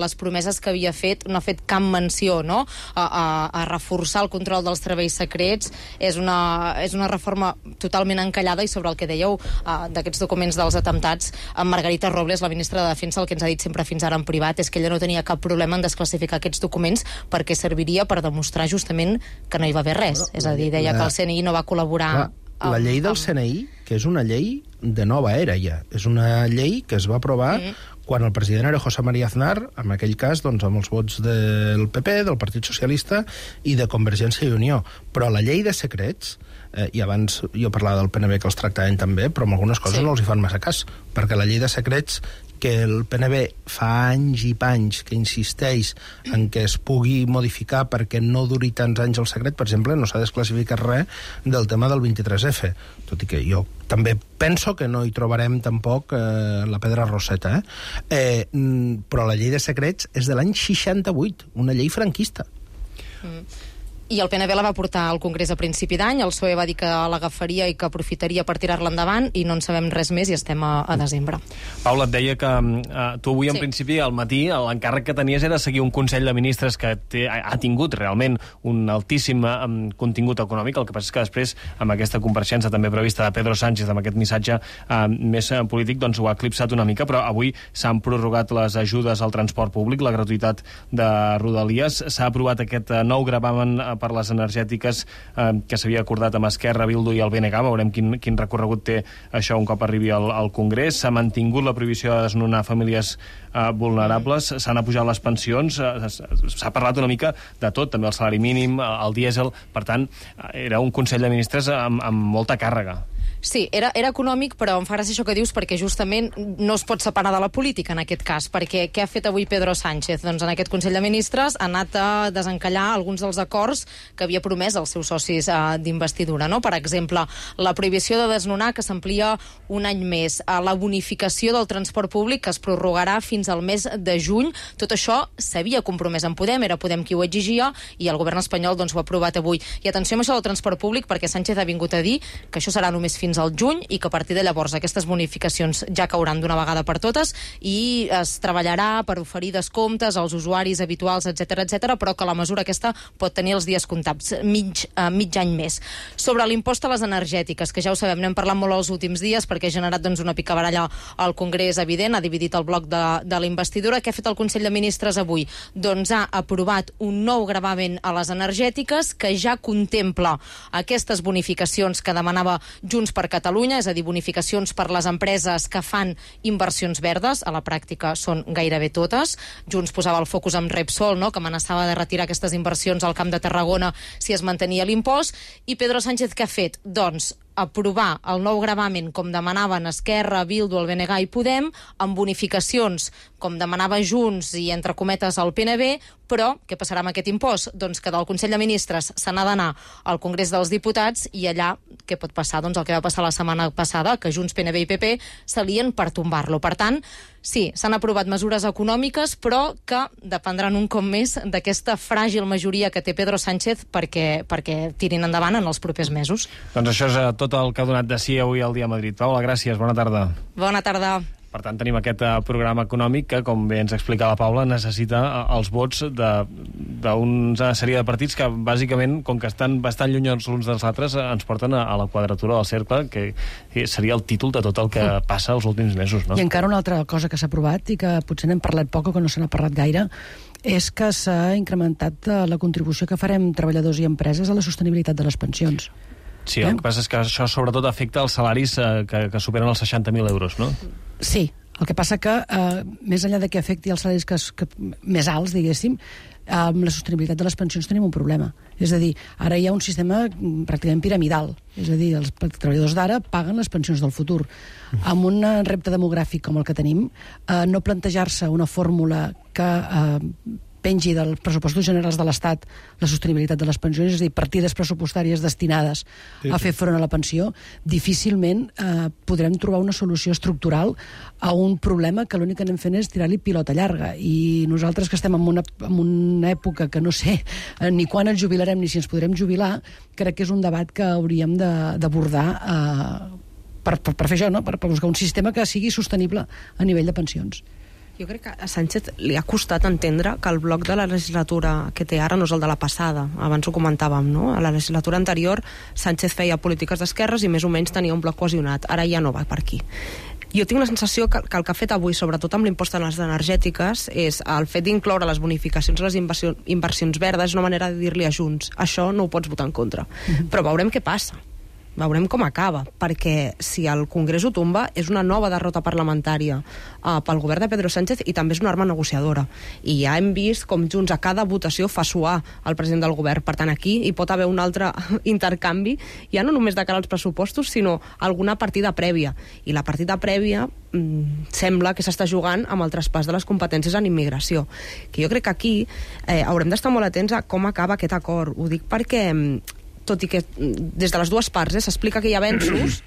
les promeses que havia fet, no ha fet cap menció, no?, a, a, a reforçar el control dels serveis secrets. És una, és una reforma totalment encallada, i sobre el que dèieu eh, d'aquests documents dels atemptats, amb Margarita Robles, la ministra de Defensa, el que ens ha dit sempre fins ara en privat és que ella no tenia cap problema en desclassificar aquests documents perquè serviria per demostrar justament que no hi va haver res. Però, és a dir, deia la... que el C N I no va col·laborar... Clar, amb, la llei del amb... C N I, que és una llei de nova era ja, és una llei que es va aprovar mm. quan el president era José María Aznar, en aquell cas doncs, amb els vots del P P, del Partit Socialista i de Convergència i Unió. Però la llei de secrets, eh, i abans jo parlava del P N B que els tractaven també, però amb algunes coses sí. no els hi fan massa cas, perquè la llei de secrets que el P N B fa anys i panys que insisteix en que es pugui modificar perquè no duri tants anys el secret, per exemple, no s'ha desclassificat res del tema del vint-i-tres efa, tot i que jo també penso que no hi trobarem tampoc eh, la pedra roseta, eh? Eh, però la llei de secrets és de l'any seixanta-vuit, una llei franquista. Mm. I el P N B la va portar al Congrés a principi d'any, el P S O E va dir que l'agafaria i que aprofitaria per tirar-la endavant, i no en sabem res més i estem a, a desembre. Paula, et deia que uh, tu avui, en sí. principi, al matí, l'encàrrec que tenies era seguir un Consell de Ministres que té, ha tingut realment un altíssim um, contingut econòmic. El que passa és que després, amb aquesta compareixença també prevista de Pedro Sánchez, amb aquest missatge uh, més uh, polític, doncs ho ha eclipsat una mica, però avui s'han prorrogat les ajudes al transport públic, la gratuïtat de Rodalies, s'ha aprovat aquest uh, nou gravamen uh, per les energètiques eh, que s'havia acordat amb Esquerra, Bildu i el B N G. Veurem quin, quin recorregut té això un cop arribi al, al Congrés. S'ha mantingut la prohibició de desnonar famílies eh, vulnerables, s'han apujat les pensions, eh, s'ha parlat una mica de tot, també el salari mínim, el dièsel. Per tant, era un Consell de Ministres amb, amb molta càrrega. Sí, era, era econòmic, però em fa gràcia això que dius, perquè justament no es pot separar de la política en aquest cas, perquè què ha fet avui Pedro Sánchez? Doncs en aquest Consell de Ministres ha anat a desencallar alguns dels acords que havia promès als seus socis eh, d'investidura, no? Per exemple, la prohibició de desnonar, que s'amplia un any més, eh, la bonificació del transport públic, que es prorrogarà fins al mes de juny. Tot això s'havia compromès en Podem, era Podem qui ho exigia, i el govern espanyol doncs, ho ha aprovat avui. I atenció amb això del transport públic, perquè Sánchez ha vingut a dir que això serà només fins fins al juny i que a partir de llavors aquestes bonificacions ja cauran d'una vegada per totes i es treballarà per oferir descomptes als usuaris habituals, etcètera, etcètera, però que la mesura aquesta pot tenir els dies comptats, mig, uh, mig any més. Sobre l'impost a les energètiques, que ja ho sabem, n'hem parlat molt els últims dies perquè ha generat doncs, una picabaralla al Congrés evident, ha dividit el bloc de, de la investidura. Què ha fet el Consell de Ministres avui? Doncs ha aprovat un nou gravamen a les energètiques que ja contempla aquestes bonificacions que demanava Junts per Catalunya, és a dir, bonificacions per les empreses que fan inversions verdes, a la pràctica són gairebé totes. Junts posava el focus amb Repsol, no?, que amenaçava de retirar aquestes inversions al Camp de Tarragona si es mantenia l'impost, i Pedro Sánchez què ha fet? Doncs aprovar el nou gravamen com demanaven Esquerra, Bildu, el B N G i Podem, amb bonificacions com demanava Junts i entre cometes el P N B, però què passarà amb aquest impost? Doncs que del Consell de Ministres se n'ha d'anar al Congrés dels Diputats i allà què pot passar? Doncs el que va passar la setmana passada, que Junts, P N B i P P s'alien per tombar-lo. Per tant, sí, s'han aprovat mesures econòmiques, però que dependran un cop més d'aquesta fràgil majoria que té Pedro Sánchez perquè, perquè tirin endavant en els propers mesos. Doncs això és tot el que ha donat de si avui al Dia Madrid. Paula, gràcies, bona tarda. Bona tarda. Per tant, tenim aquest uh, programa econòmic que, com bé ens explica la Paula, necessita uh, els vots d'una sèrie de partits que, bàsicament, com que estan bastant lluny els uns dels altres, uh, ens porten a, a la quadratura del cercle, que, que seria el títol de tot el que passa els últims mesos, no? I encara una altra cosa que s'ha aprovat i que potser n'hem parlat poc o que no se n'ha parlat gaire, és que s'ha incrementat uh, la contribució que farem treballadors i empreses a la sostenibilitat de les pensions. Sí, el que passa és que això sobretot afecta els salaris eh, que, que superen els seixanta mil euros, no? Sí, el que passa que, eh, més enllà de que afecti els salaris que, que, més alts, diguéssim, amb la sostenibilitat de les pensions tenim un problema. És a dir, ara hi ha un sistema pràcticament piramidal. És a dir, els treballadors d'ara paguen les pensions del futur. Amb un repte demogràfic com el que tenim, eh, no plantejar-se una fórmula que eh, pengi dels pressupostos generals de l'Estat la sostenibilitat de les pensions, és a dir, partides pressupostàries destinades sí, a fer front a la pensió, difícilment eh, podrem trobar una solució estructural a un problema que l'únic que anem fent és tirar-li pilota llarga. I nosaltres que estem en una, en una època que no sé eh, ni quan ens jubilarem ni si ens podrem jubilar, crec que és un debat que hauríem d'abordar eh, per, per, per fer això, no? per, per buscar un sistema que sigui sostenible a nivell de pensions. Jo crec que a Sánchez li ha costat entendre que el bloc de la legislatura que té ara no és el de la passada. Abans ho comentàvem, no? A la legislatura anterior Sánchez feia polítiques d'esquerres i més o menys tenia un bloc cohesionat. Ara ja no va per aquí. Jo tinc la sensació que, que el que ha fet avui, sobretot amb l'impost a les energètiques, és el fet d'incloure les bonificacions a les inversions, inversions verdes, és una manera de dir-li a Junts, això no ho pots votar en contra. Mm-hmm. Però veurem què passa. Veurem com acaba, perquè si el Congrés ho tomba és una nova derrota parlamentària uh, pel govern de Pedro Sánchez i també és una arma negociadora. I ja hem vist com Junts a cada votació fa suar el president del govern. Per tant, aquí hi pot haver un altre intercanvi, ja no només de cara als pressupostos, sinó alguna partida prèvia. I la partida prèvia mm, sembla que s'està jugant amb el traspàs de les competències en immigració. Que jo crec que aquí eh, haurem d'estar molt atents a com acaba aquest acord. Ho dic perquè tot i que des de les dues parts eh, s'explica que hi ha avenços,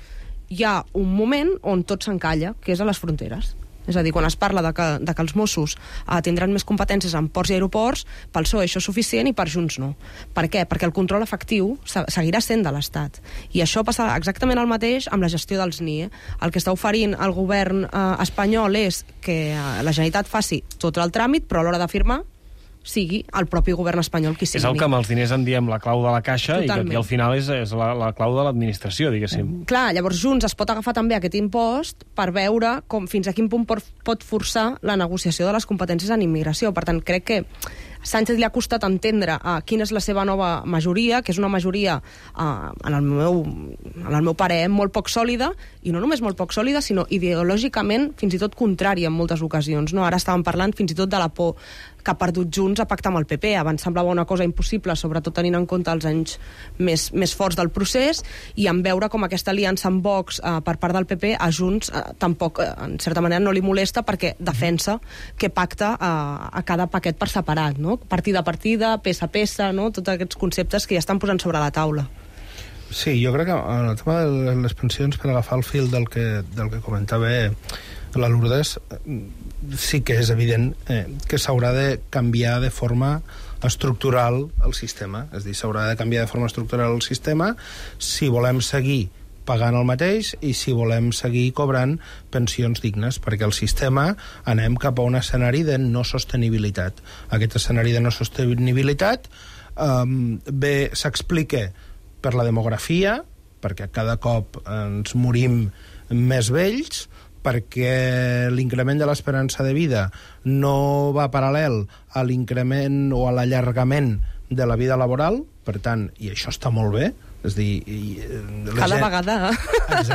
hi ha un moment on tot s'encalla, que és a les fronteres. És a dir, quan es parla de que, de que els Mossos eh, tindran més competències en ports i aeroports, pel P S O E això és suficient i per Junts no. Per què? Perquè el control efectiu seguirà sent de l'Estat. I això passa exactament el mateix amb la gestió dels N I E. El que està oferint el govern eh, espanyol és que eh, la Generalitat faci tot el tràmit, però a l'hora de firmar sigui el propi govern espanyol qui signi. És el que amb els diners en diem la clau de la caixa. Totalment. I que aquí al final és, és la, la clau de l'administració, diguéssim. Clar, llavors Junts es pot agafar també aquest impost per veure com fins a quin punt pot, pot forçar la negociació de les competències en immigració. Per tant, crec que Sánchez li ha costat entendre uh, quina és la seva nova majoria, que és una majoria, uh, en, el meu, en el meu parer, molt poc sòlida, i no només molt poc sòlida, sinó ideològicament fins i tot contrària en moltes ocasions. No? Ara estàvem parlant fins i tot de la por que ha perdut Junts a pactar amb el P P. Abans semblava una cosa impossible, sobretot tenint en compte els anys més, més forts del procés, i en veure com aquesta aliança amb Vox uh, per part del P P a Junts uh, tampoc, uh, en certa manera, no li molesta perquè defensa que pacta uh, a cada paquet per separat, no? Partida a partida, peça a peça, no? Tots aquests conceptes que ja estan posant sobre la taula. Sí, jo crec que en el tema de les pensions, per agafar el fil del que, del que comentava la Lourdes, sí que és evident eh, que s'haurà de canviar de forma estructural el sistema. És a dir, s'haurà de canviar de forma estructural el sistema si volem seguir pagant el mateix i si volem seguir cobrant pensions dignes, perquè el sistema anem cap a un escenari de no sostenibilitat. Aquest escenari de no sostenibilitat um, bé s'explica per la demografia, perquè cada cop ens morim més vells, perquè l'increment de l'esperança de vida no va paral·lel a l'increment o a l'allargament de la vida laboral, per tant, i això està molt bé, és dir... I, Cada gent... vegada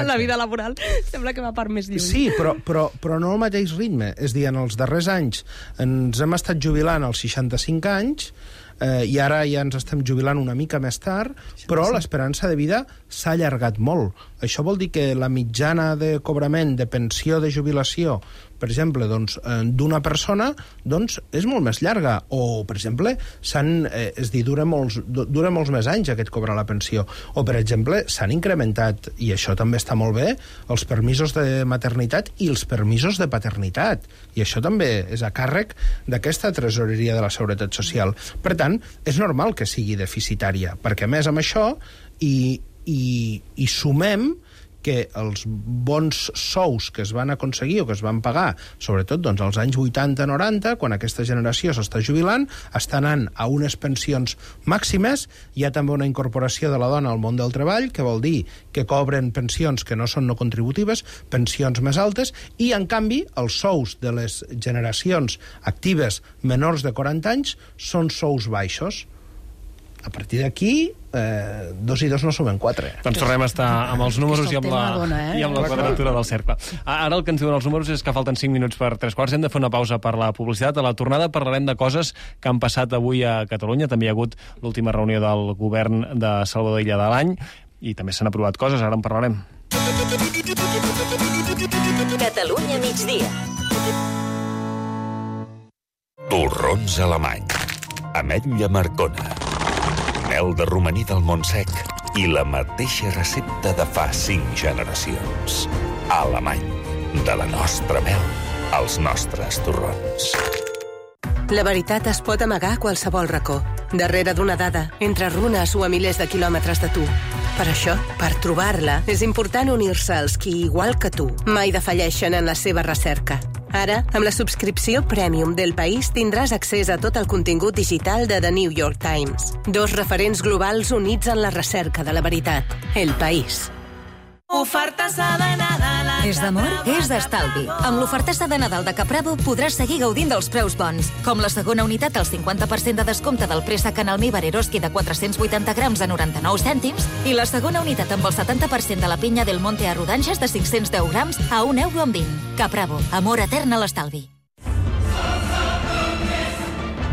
la vida laboral sembla que va per més lluny. Sí, però, però, però no al mateix ritme. És dir, en els darrers anys ens hem estat jubilant als seixanta-cinc anys eh, i ara ja ens estem jubilant una mica més tard, però l'esperança de vida s'ha allargat molt. Això vol dir que la mitjana de cobrament de pensió de jubilació, per exemple, doncs, d'una persona, doncs, és molt més llarga. O, per exemple, s'han, eh, és dir, dura molts, dura molts més anys aquest cobrar la pensió. O, per exemple, s'han incrementat, i això també està molt bé, els permisos de maternitat i els permisos de paternitat. I això també és a càrrec d'aquesta tresoreria de la Seguretat Social. Per tant, és normal que sigui deficitària, perquè, a més, amb això, i, i, i sumem que els bons sous que es van aconseguir o que es van pagar, sobretot doncs, als anys vuitanta noranta, quan aquesta generació s'està jubilant, està anant a unes pensions màximes. Hi ha també una incorporació de la dona al món del treball, que vol dir que cobren pensions que no són no contributives, pensions més altes, i, en canvi, els sous de les generacions actives menors de quaranta anys són sous baixos. A partir d'aquí, eh, dos i dos no sumen quatre. Doncs tornem a estar amb els números i amb la, dona, eh? i amb la quadratura del cercle. Ara el que ens diuen els números és que falten cinc minuts per tres quarts. Hem de fer una pausa per la publicitat. A la tornada parlarem de coses que han passat avui a Catalunya. També hi ha hagut l'última reunió del govern de Salvador Illa de l'any i també s'han aprovat coses. Ara en parlarem. Catalunya migdia. Torrons alemany. Ametlla Marcona. Mel de romaní del Montsec i la mateixa recepta de fa cinc generacions. Alemany. De la nostra mel als nostres torrons. La veritat es pot amagar a qualsevol racó, darrere d'una dada, entre runes o a milers de quilòmetres de tu. Per això, per trobar-la, és important unir-se als qui, igual que tu, mai defalleixen en la seva recerca. Ara, amb la subscripció Premium del País tindràs accés a tot el contingut digital de The New York Times. Dos referents globals units en la recerca de la veritat. El País. Ofertassa de Nadal. És d'amor? És d'estalvi. Amb l'ofertassa de Nadal de Capravo podràs seguir gaudint dels preus bons, com la segona unitat al cinquanta per cent de descompte del préssec en almíbar Eroski de quatre-cents vuitanta grams a noranta-nou cèntims i la segona unitat amb el setanta per cent de la pinya del Monte a rodanxes de cinc-cents deu grams a un euro amb vint. Capravo, amor etern a l'estalvi.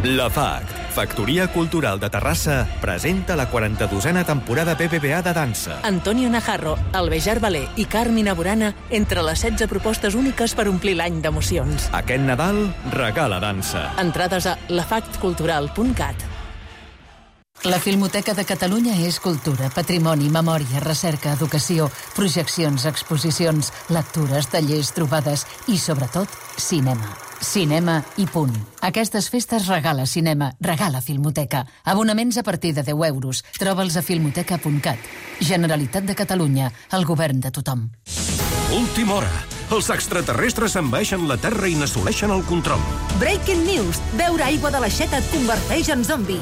La F A C, Factoria Cultural de Terrassa, presenta la quaranta-dosena temporada B B V A de dansa. Antonio Najarro, Albejar Balé i Carmina Burana entre les setze propostes úniques per omplir l'any d'emocions. Aquest Nadal, regala dansa. Entrades a la fact cultural punt cat. La Filmoteca de Catalunya és cultura, patrimoni, memòria, recerca, educació, projeccions, exposicions, lectures, tallers, trobades i, sobretot, cinema. Cinema i punt. Aquestes festes regala cinema, regala Filmoteca. Abonaments a partir de deu euros. Troba'ls a filmoteca punt cat. Generalitat de Catalunya, el govern de tothom. Última hora. Els extraterrestres envaeixen la Terra i n'assoleixen el control. Breaking news. Beure aigua de l'aixeta et converteix en zombi.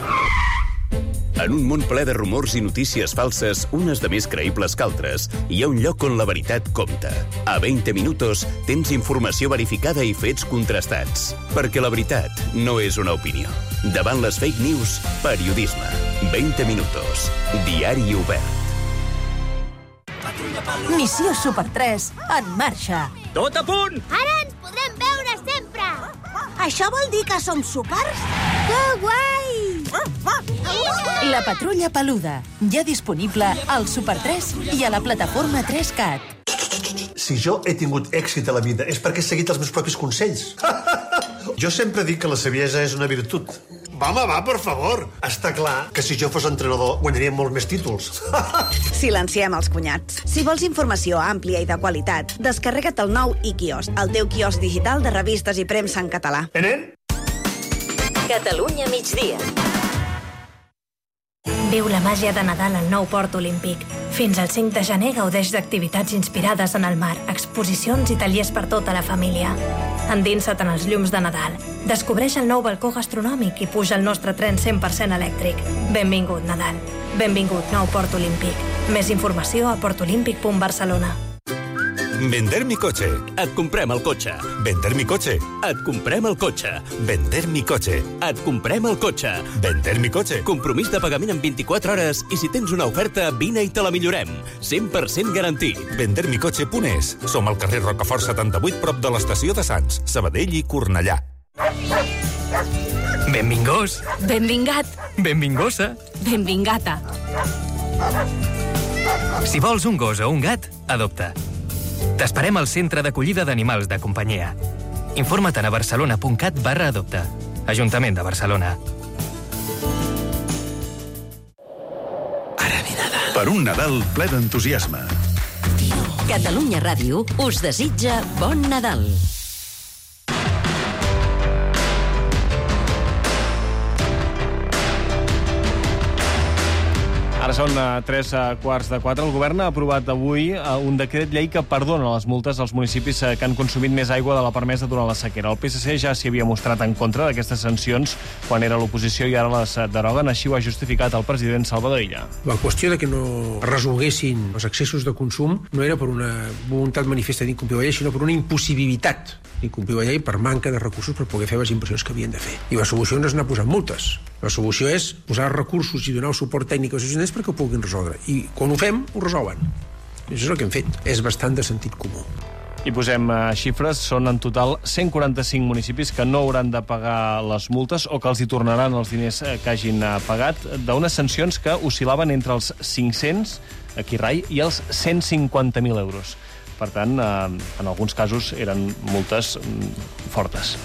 En un món ple de rumors i notícies falses, unes de més creïbles que altres, hi ha un lloc on la veritat compta. A vint minutos tens informació verificada i fets contrastats. Perquè la veritat no és una opinió. Davant les fake news, periodisme. vint minutos. Diari obert. Missió Super tres en marxa. Tot a punt! Ara ens podrem veure sempre! Això vol dir que som súpers? Que guai! La Patrulla Peluda, ja disponible al Super tres i a la plataforma tres cat. Si jo he tingut èxit a la vida és perquè he seguit els meus propis consells. Jo sempre dic que la saviesa és una virtut. Va, home, va, per favor. Està clar que si jo fos entrenador guanyaria molts més títols. Silenciem els cunyats. Si vols informació àmplia i de qualitat, descarrega't el nou iKiosc, el teu quiosc digital de revistes i premsa en català. Enen? Catalunya migdia. Viu la màgia de Nadal al nou Port Olímpic. Fins al cinc de gener gaudeix d'activitats inspirades en el mar, exposicions i tallers per tota la família. Endinsa't en els llums de Nadal. Descobreix el nou balcó gastronòmic i puja al nostre tren cent per cent elèctric. Benvingut, Nadal. Benvingut, nou Port Olímpic. Més informació a portolímpic punt barcelona. Vender mi coche. Et comprem el cotxe. Vender mi coche. Et comprem el cotxe. Vender mi coche. Et comprem el cotxe. Vender mi coche. Compromís de pagament en vint-i-quatre hores i si tens una oferta, vine i te la millorem. cent per cent garantit. vender mi coche punt es. Som al carrer Rocafort setanta-vuit, prop de l'estació de Sants, Sabadell i Cornellà. Benvingós. Benvingat. Benvingosa. Benvingata. Si vols un gos o un gat, adopta. T'esperem al Centre d'Acollida d'Animals de Companyia. Informa't a barcelona punt cat barra adopta. Ajuntament de Barcelona. Ara ve Nadal. Per un Nadal ple d'entusiasme. Catalunya Ràdio us desitja bon Nadal. Ara són uh, tres uh, quarts de quatre. El govern ha aprovat avui uh, un decret llei que perdona les multes als municipis uh, que han consumit més aigua de la permesa durant la sequera. El P S C ja s'hi havia mostrat en contra d'aquestes sancions quan era a l'oposició i ara les uh, deroguen. Així ho ha justificat el president Salvador Illa. La qüestió de que no resolguessin els excessos de consum no era per una voluntat manifesta d'incomplir la llei, sinó per una impossibilitat d'incomplir la llei per manca de recursos per poder fer les inversions que havien de fer. I la solució no és anar posant multes. La solució és posar recursos i donar el suport tècnic als ajuntaments perquè ho puguin resoldre. I quan ho fem, ho resolen. I això és el que hem fet. És bastant de sentit comú. I posem uh, xifres. Són en total cent quaranta-cinc municipis que no hauran de pagar les multes o que els hi tornaran els diners que hagin uh, pagat d'unes sancions que oscil·laven entre els cinc-cents, aquí rai, i els cent cinquanta mil euros. Per tant, uh, en alguns casos eren multes um, fortes.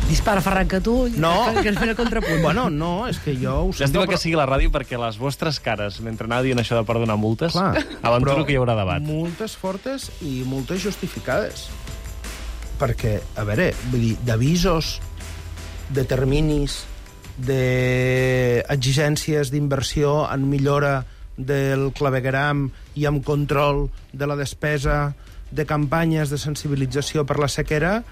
Dispara, Ferran, que tu... No. Que, que es fes el contrapunt. Bueno, no, és que jo ho sento... Llàstima però... que sigui la ràdio perquè les vostres cares, mentre anava dient això de perdonar multes, clar, aventuro que hi haurà debat. Multes fortes i multes justificades. Perquè, a veure, vull dir, d'avisos, de terminis, d'exigències d'inversió en millora del clavegueram i amb control de la despesa, de campanyes de sensibilització per la sequera,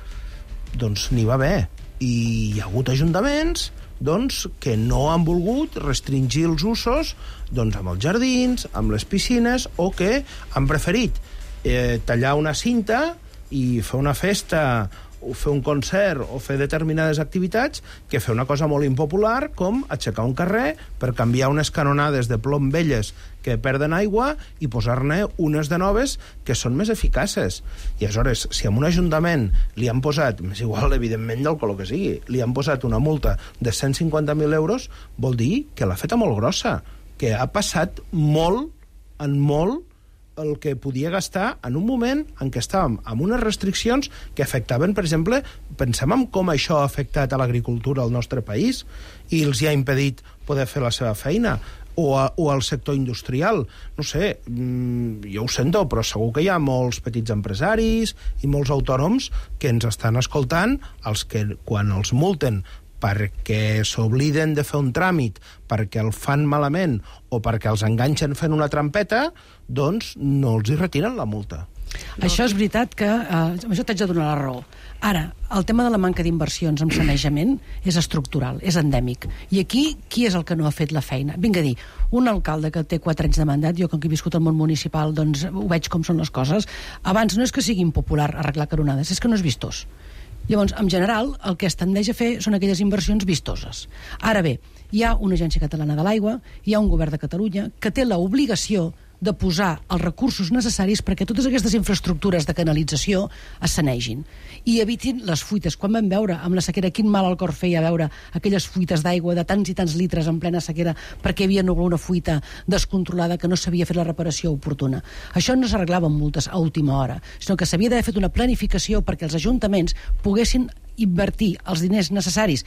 doncs n'hi va haver. I hi ha hagut ajuntaments doncs, que no han volgut restringir els usos doncs, amb els jardins, amb les piscines, o que han preferit eh, tallar una cinta i fer una festa o fer un concert o fer determinades activitats que fer una cosa molt impopular com aixecar un carrer per canviar unes canonades de plom velles que perden aigua i posar-ne unes de noves que són més eficaces. I aleshores, si a un ajuntament li han posat, més igual, evidentment, del color que sigui, li han posat una multa de cent cinquanta mil euros, vol dir que l'ha feta molt grossa, que ha passat molt, en molt, el que podia gastar en un moment en què estàvem amb unes restriccions que afectaven, per exemple, pensem en com això ha afectat a l'agricultura al nostre país i els hi ha impedit poder fer la seva feina, o, a, o al sector industrial. No sé, jo ho sento, però segur que hi ha molts petits empresaris i molts autònoms que ens estan escoltant, els que quan els multen perquè s'obliden de fer un tràmit, perquè el fan malament o perquè els enganxen fent una trampeta, doncs no els hi retiren la multa. No. Això és veritat que... Eh, això t'haig de donar la raó. Ara, el tema de la manca d'inversions en sanejament és estructural, és endèmic. I aquí, qui és el que no ha fet la feina? Vinga a dir, un alcalde que té quatre anys de mandat, jo com que he viscut al món municipal, doncs ho veig com són les coses, abans no és que sigui impopular arreglar caronades, és que no és vistós. Llavors, en general, el que es tendeix a fer són aquelles inversions vistoses. Ara bé, hi ha una agència catalana de l'aigua, hi ha un govern de Catalunya que té l'obligació de posar els recursos necessaris perquè totes aquestes infraestructures de canalització es sanegin i evitin les fuites. Quan vam veure amb la sequera quin mal al cor feia veure aquelles fuites d'aigua de tants i tants litres en plena sequera perquè hi havia una fuita descontrolada que no s'havia fet la reparació oportuna. Això no s'arreglava amb multes a última hora, sinó que s'havia d'haver fet una planificació perquè els ajuntaments poguessin invertir els diners necessaris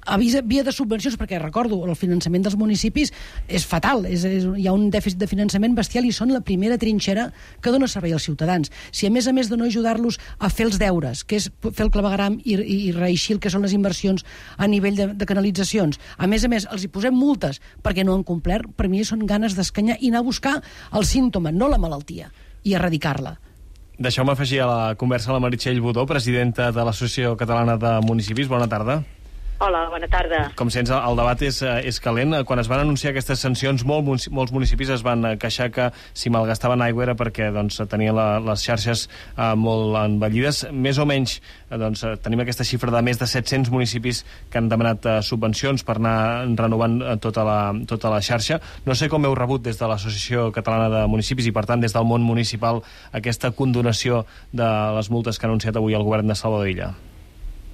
a via de subvencions, perquè recordo, el finançament dels municipis és fatal, és, és, hi ha un dèficit de finançament bestial i són la primera trinxera que dona servei als ciutadans. Si a més a més de no ajudar-los a fer els deures, que és fer el clavegueram i, i, i reeixir el que són les inversions a nivell de, de canalitzacions, a més a més els hi posem multes perquè no han complert, per mi són ganes d'escanyar i anar a buscar el símptoma, no la malaltia, i erradicar-la. Deixeu-me afegir a la conversa a la Meritxell Budó, presidenta de l'Associació Catalana de Municipis. Bona tarda. Hola, bona tarda. Com sents, el debat és, és calent. Quan es van anunciar aquestes sancions, molt, molts municipis es van queixar que si malgastaven aigua era perquè doncs, tenien la, les xarxes eh, molt envellides. Més o menys eh, doncs, tenim aquesta xifra de més de set-cents municipis que han demanat eh, subvencions per anar renovant eh, tota, la, tota la xarxa. No sé com heu rebut des de l'Associació Catalana de Municipis i, per tant, des del món municipal aquesta condonació de les multes que ha anunciat avui el govern de Salvador Illa.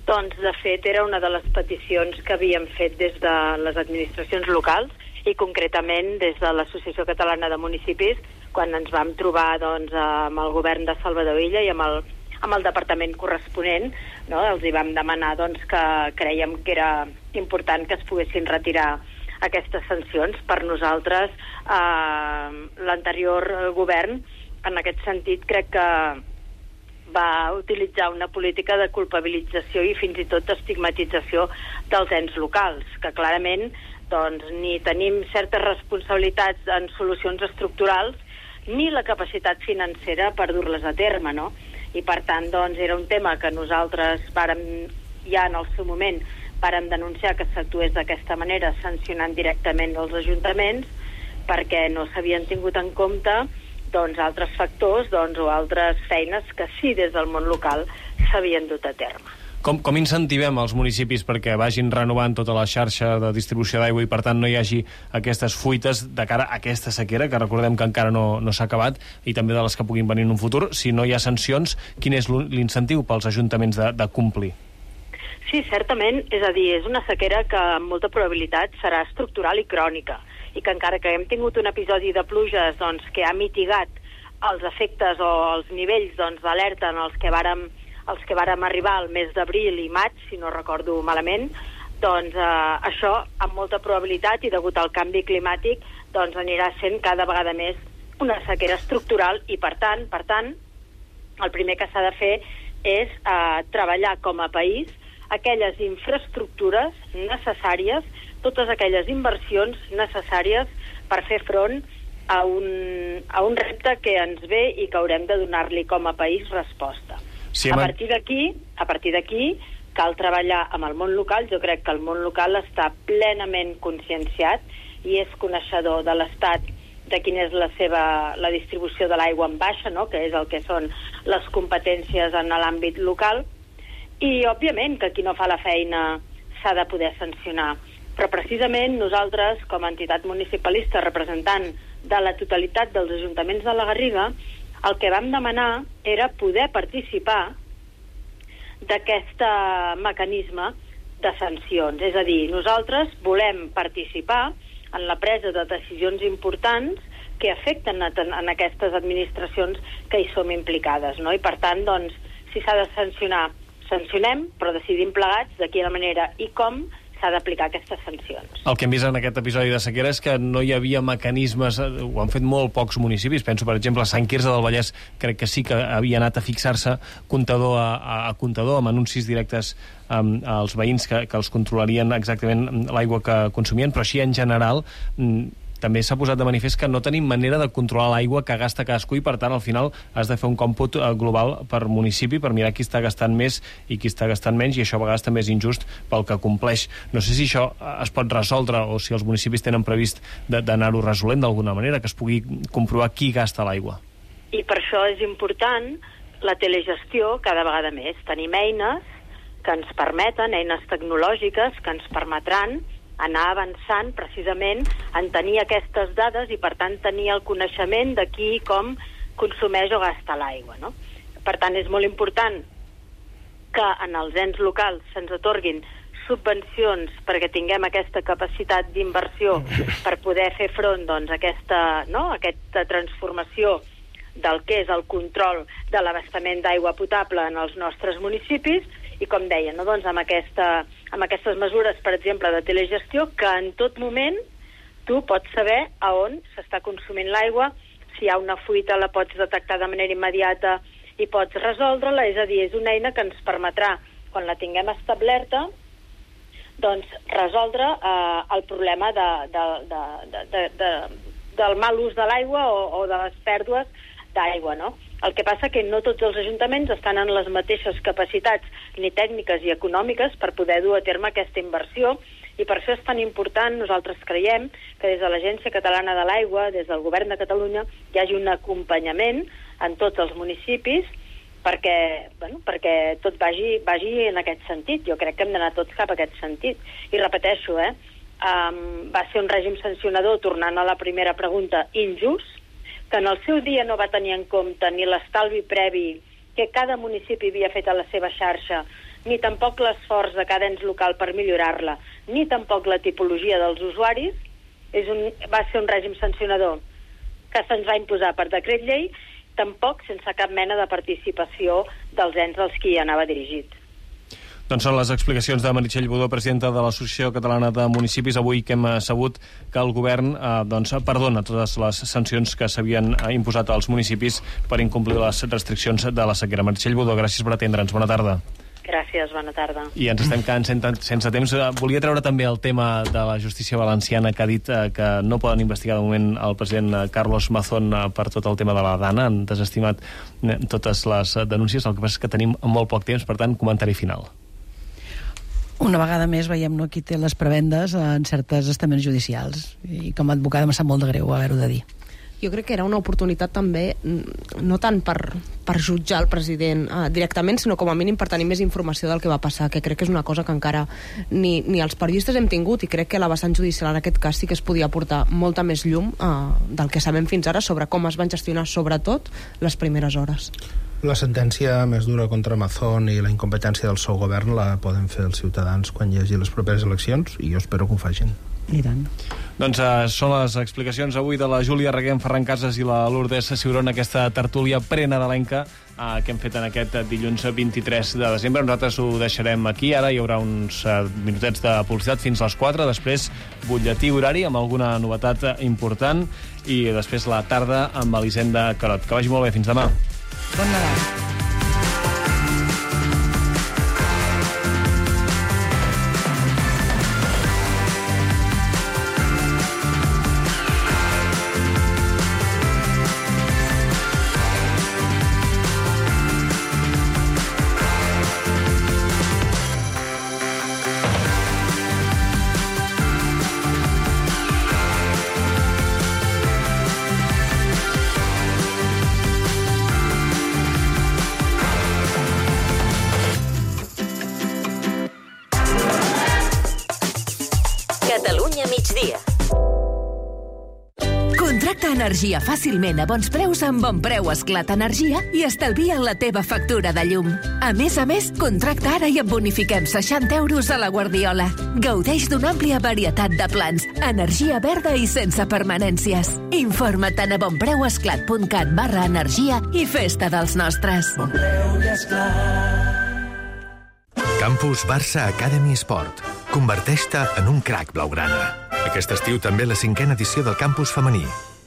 Doncs, de fet, era una de les peticions que havíem fet des de les administracions locals i concretament des de l'Associació Catalana de Municipis quan ens vam trobar doncs, amb el govern de Salvador Illa i amb el, amb el departament corresponent, no? Els hi vam demanar doncs, que creiem que era important que es poguessin retirar aquestes sancions. Per nosaltres, eh, l'anterior govern, en aquest sentit, crec que va utilitzar una política de culpabilització i fins i tot d'estigmatització dels ens locals, que clarament doncs, ni tenim certes responsabilitats en solucions estructurals ni la capacitat financera per dur-les a terme, no? I per tant, doncs, era un tema que nosaltres vàrem, ja en el seu moment vàrem denunciar que s'actués d'aquesta manera, sancionant directament els ajuntaments, perquè no s'havien tingut en compte doncs, altres factors doncs, o altres feines que sí des del món local s'havien dut a terme. Com, com incentivem els municipis perquè vagin renovant tota la xarxa de distribució d'aigua i per tant no hi hagi aquestes fuites de cara a aquesta sequera, que recordem que encara no, no s'ha acabat, i també de les que puguin venir en un futur? Si no hi ha sancions, quin és l'incentiu pels ajuntaments de, de complir? Sí, certament, és a dir, és una sequera que amb molta probabilitat serà estructural i crònica, i que encara que hem tingut un episodi de pluges doncs, que ha mitigat els efectes o els nivells doncs, d'alerta en els que vàrem, els que vàrem arribar al mes d'abril i maig, si no recordo malament, doncs eh, això amb molta probabilitat i degut al canvi climàtic doncs, anirà sent cada vegada més una sequera estructural i per tant, per tant el primer que s'ha de fer és eh, treballar com a país aquelles infraestructures necessàries, totes aquelles inversions necessàries per fer front a un, a un repte que ens ve i que haurem de donar-li com a país resposta. Sí, a partir d'aquí, a partir d'aquí, cal treballar amb el món local. Jo crec que el món local està plenament conscienciat i és coneixedor de l'estat de quina és la seva la distribució de l'aigua en baixa, no? Que és el que són les competències en l'àmbit local. I, òbviament, que qui no fa la feina s'ha de poder sancionar. Però, precisament, nosaltres, com a entitat municipalista representant de la totalitat dels ajuntaments de la Garriga, el que vam demanar era poder participar d'aquest mecanisme de sancions. És a dir, nosaltres volem participar en la presa de decisions importants que afecten a, en aquestes administracions que hi som implicades, no? I, per tant, doncs, si s'ha de sancionar, sancionem, però decidim plegats de quina manera i com s'ha d'aplicar aquestes sancions. El que hem vist en aquest episodi de sequera és que no hi havia mecanismes, ho han fet molt pocs municipis, penso per exemple a Sant Quirze del Vallès, crec que sí que havia anat a fixar-se comptador a, a, a comptador amb anuncis directes um, als veïns que, que els controlarien exactament l'aigua que consumien, però així en general també s'ha posat de manifest que no tenim manera de controlar l'aigua que gasta cadascú i, per tant, al final has de fer un còmput global per municipi per mirar qui està gastant més i qui està gastant menys, i això a vegades també és injust pel que compleix. No sé si això es pot resoldre o si els municipis tenen previst d'anar-ho resolent d'alguna manera, que es pugui comprovar qui gasta l'aigua. I per això és important la telegestió cada vegada més. Tenim eines que ens permeten, eines tecnològiques que ens permetran anar avançant precisament en tenir aquestes dades i, per tant, tenir el coneixement de qui i com consumeix o gasta l'aigua, no? Per tant, és molt important que en els ens locals se'ns atorguin subvencions perquè tinguem aquesta capacitat d'inversió per poder fer front doncs, a aquesta, no? aquesta transformació del que és el control de l'abastament d'aigua potable en els nostres municipis I com deia, no? doncs amb, aquesta, amb aquestes mesures, per exemple, de telegestió, que en tot moment tu pots saber a on s'està consumint l'aigua, si hi ha una fuita la pots detectar de manera immediata i pots resoldre-la, és a dir, és una eina que ens permetrà, quan la tinguem establerta, doncs resoldre eh, el problema de, de, de, de, de, de, del mal ús de l'aigua o, o de les pèrdues d'aigua, no? El que passa que no tots els ajuntaments estan en les mateixes capacitats ni tècniques i econòmiques per poder dur a terme aquesta inversió, i per això és tan important, nosaltres creiem, que des de l'Agència Catalana de l'Aigua, des del Govern de Catalunya, hi hagi un acompanyament en tots els municipis perquè, bueno, perquè tot vagi, vagi en aquest sentit. Jo crec que hem d'anar tots cap a aquest sentit. I repeteixo, eh, um, va ser un règim sancionador, tornant a la primera pregunta, injust, que en el seu dia no va tenir en compte ni l'estalvi previ que cada municipi havia fet a la seva xarxa, ni tampoc l'esforç de cada ens local per millorar-la, ni tampoc la tipologia dels usuaris. És un, va ser un règim sancionador que se'ns va imposar per decret llei, tampoc sense cap mena de participació dels ens als qui anava dirigit. Doncs són les explicacions de Meritxell Budó, presidenta de l'Associació Catalana de Municipis, avui que hem sabut que el govern eh, doncs, perdona totes les sancions que s'havien imposat als municipis per incomplir les restriccions de la sequera. Meritxell Budó, gràcies per atendre'ns. Bona tarda. Gràcies, bona tarda. I ens estem quedant sense temps. Volia treure també el tema de la justícia valenciana, que ha dit eh, que no poden investigar de moment el president Carlos Mazón eh, per tot el tema de la Dana. Han desestimat eh, totes les denúncies. El que passa és que tenim molt poc temps, per tant, comentari final. Una vegada més veiem, no, qui té les prebendes en certes estaments judicials, i com a advocada em sap molt de greu haver-ho de dir. Jo crec que era una oportunitat també, no tant per, per jutjar el president eh, directament, sinó com a mínim per tenir més informació del que va passar, que crec que és una cosa que encara ni, ni els periodistes hem tingut, i crec que la vessant judicial en aquest cas sí que es podia aportar molta més llum eh, del que sabem fins ara sobre com es van gestionar, sobretot, les primeres hores. La sentència més dura contra Mazón i la incompetència del seu govern la poden fer els ciutadans quan hi hagi les properes eleccions, i jo espero que ho facin. I tant. Doncs uh, són les explicacions avui de la Júlia Reguem, Ferran Casas i la Lourdes Ciurón, aquesta tertúlia prenadalenca uh, que hem fet en aquest dilluns vint-i-tres de desembre. Nosaltres ho deixarem aquí. Ara hi haurà uns uh, minutets de publicitat fins a les quatre, després butlletí horari amb alguna novetat important, i després la tarda amb Elisenda Carot. Que vagi molt bé, fins demà. Bon Nadal. Catalunya migdia. Contracta energia fàcilment a bons preus amb Bon Preu Esclat Energia i estalvia la teva factura de llum. A més a més, contracta ara i et bonifiquem seixanta euros a la Guardiola. Gaudeix d'una àmplia varietat de plans, energia verda i sense permanències. Informa't a bonpreuesclat punt cat barra energia i festa dels nostres. Bon Preu i Esclat. Campus Barça Academy Sport. Converteix-te en un crac blaugrana. Aquest estiu també la cinquena edició del Campus Femení.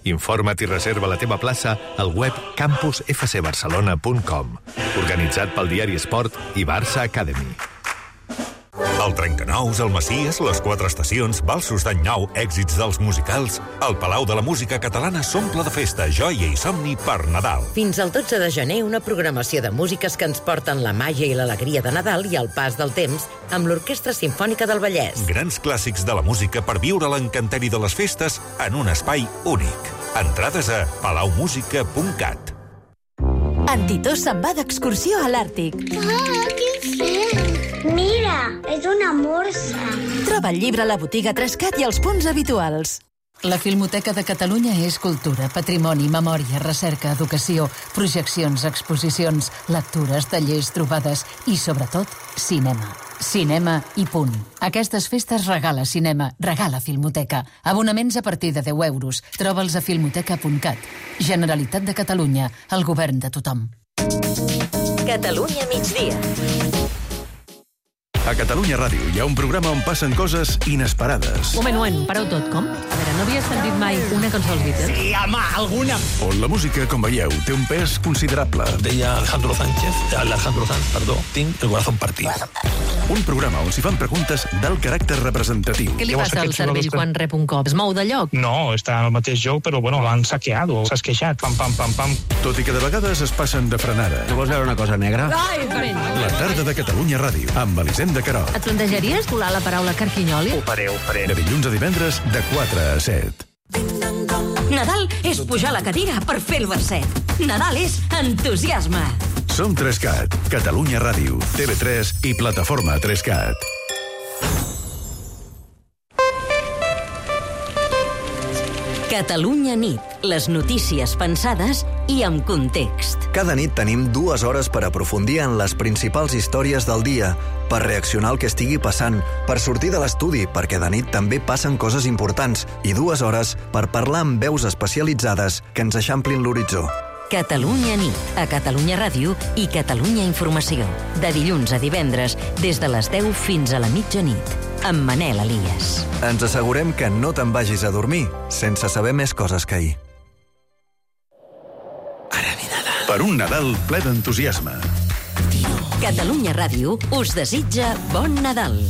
Informa't i reserva la teva plaça al web campus f c barcelona punt com. Organitzat pel diari Esport i Barça Academy. El Trencanous, el Macies, les Quatre Estacions, Valsos d'Any Nou, èxits dels musicals... El Palau de la Música Catalana s'omple de festa, joia i somni per Nadal. Fins al dotze de gener, una programació de músiques que ens porten la màgia i l'alegria de Nadal i el pas del temps amb l'Orquestra Simfònica del Vallès. Grans clàssics de la música per viure l'encanteri de les festes en un espai únic. Entrades a palau música punt cat. En Titó se'n va d'excursió a l'Àrtic. Ah, que fred! Mira, és una morsa. Troba el llibre a la botiga Trescat i els punts habituals. La Filmoteca de Catalunya és cultura, patrimoni, memòria, recerca, educació, projeccions, exposicions, lectures, tallers, trobades i, sobretot, cinema. Cinema i punt. Aquestes festes regala cinema, regala Filmoteca. Abonaments a partir de deu euros. Troba'ls a filmoteca punt cat. Generalitat de Catalunya, el govern de tothom. Catalunya migdia. A Catalunya Ràdio hi ha un programa on passen coses inesperades. Un moment, un moment, pareu tot, com? A veure, no havies sentit mai una cançó dels Beatles? Sí, home, alguna. On la música, com veieu, té un pes considerable. Deia Alejandro Sánchez, Alejandro Sanz, perdó, tinc el corazón partit. Un programa on s'hi fan preguntes d'alt caràcter representatiu. Què li passa al cervell quan rep un cop? Es mou de lloc? No, està en el mateix lloc, però bueno, l'han saqueado, s'ha esqueixat, pam, pam, pam, pam. Tot i que de vegades es passen de frenada. Tu vols veure una cosa negra? Ai, La tarda de Catalunya Ràdio, amb Elisenda Querol. Et plantejaries colar la paraula carquinyoli? Ho faré, ho faré. De dilluns a divendres, de quatre a set. Nadal és pujar a la cadira per fer el verset. Nadal és entusiasme. Som Trescat, Catalunya Ràdio, T V tres i Plataforma Trescat. Catalunya nit. Les notícies pensades i amb context. Cada nit tenim dues hores per aprofundir en les principals històries del dia, per reaccionar al que estigui passant, per sortir de l'estudi, perquè de nit també passen coses importants, i dues hores per parlar amb veus especialitzades que ens eixamplin l'horitzó. Catalunya nit, a Catalunya Ràdio i Catalunya Informació. De dilluns a divendres, des de les deu fins a la mitjanit. Amb Manel Elias. Ens assegurem que no te'n vagis a dormir sense saber més coses que ahir. Per un Nadal ple d'entusiasme. Catalunya Ràdio us desitja bon Nadal.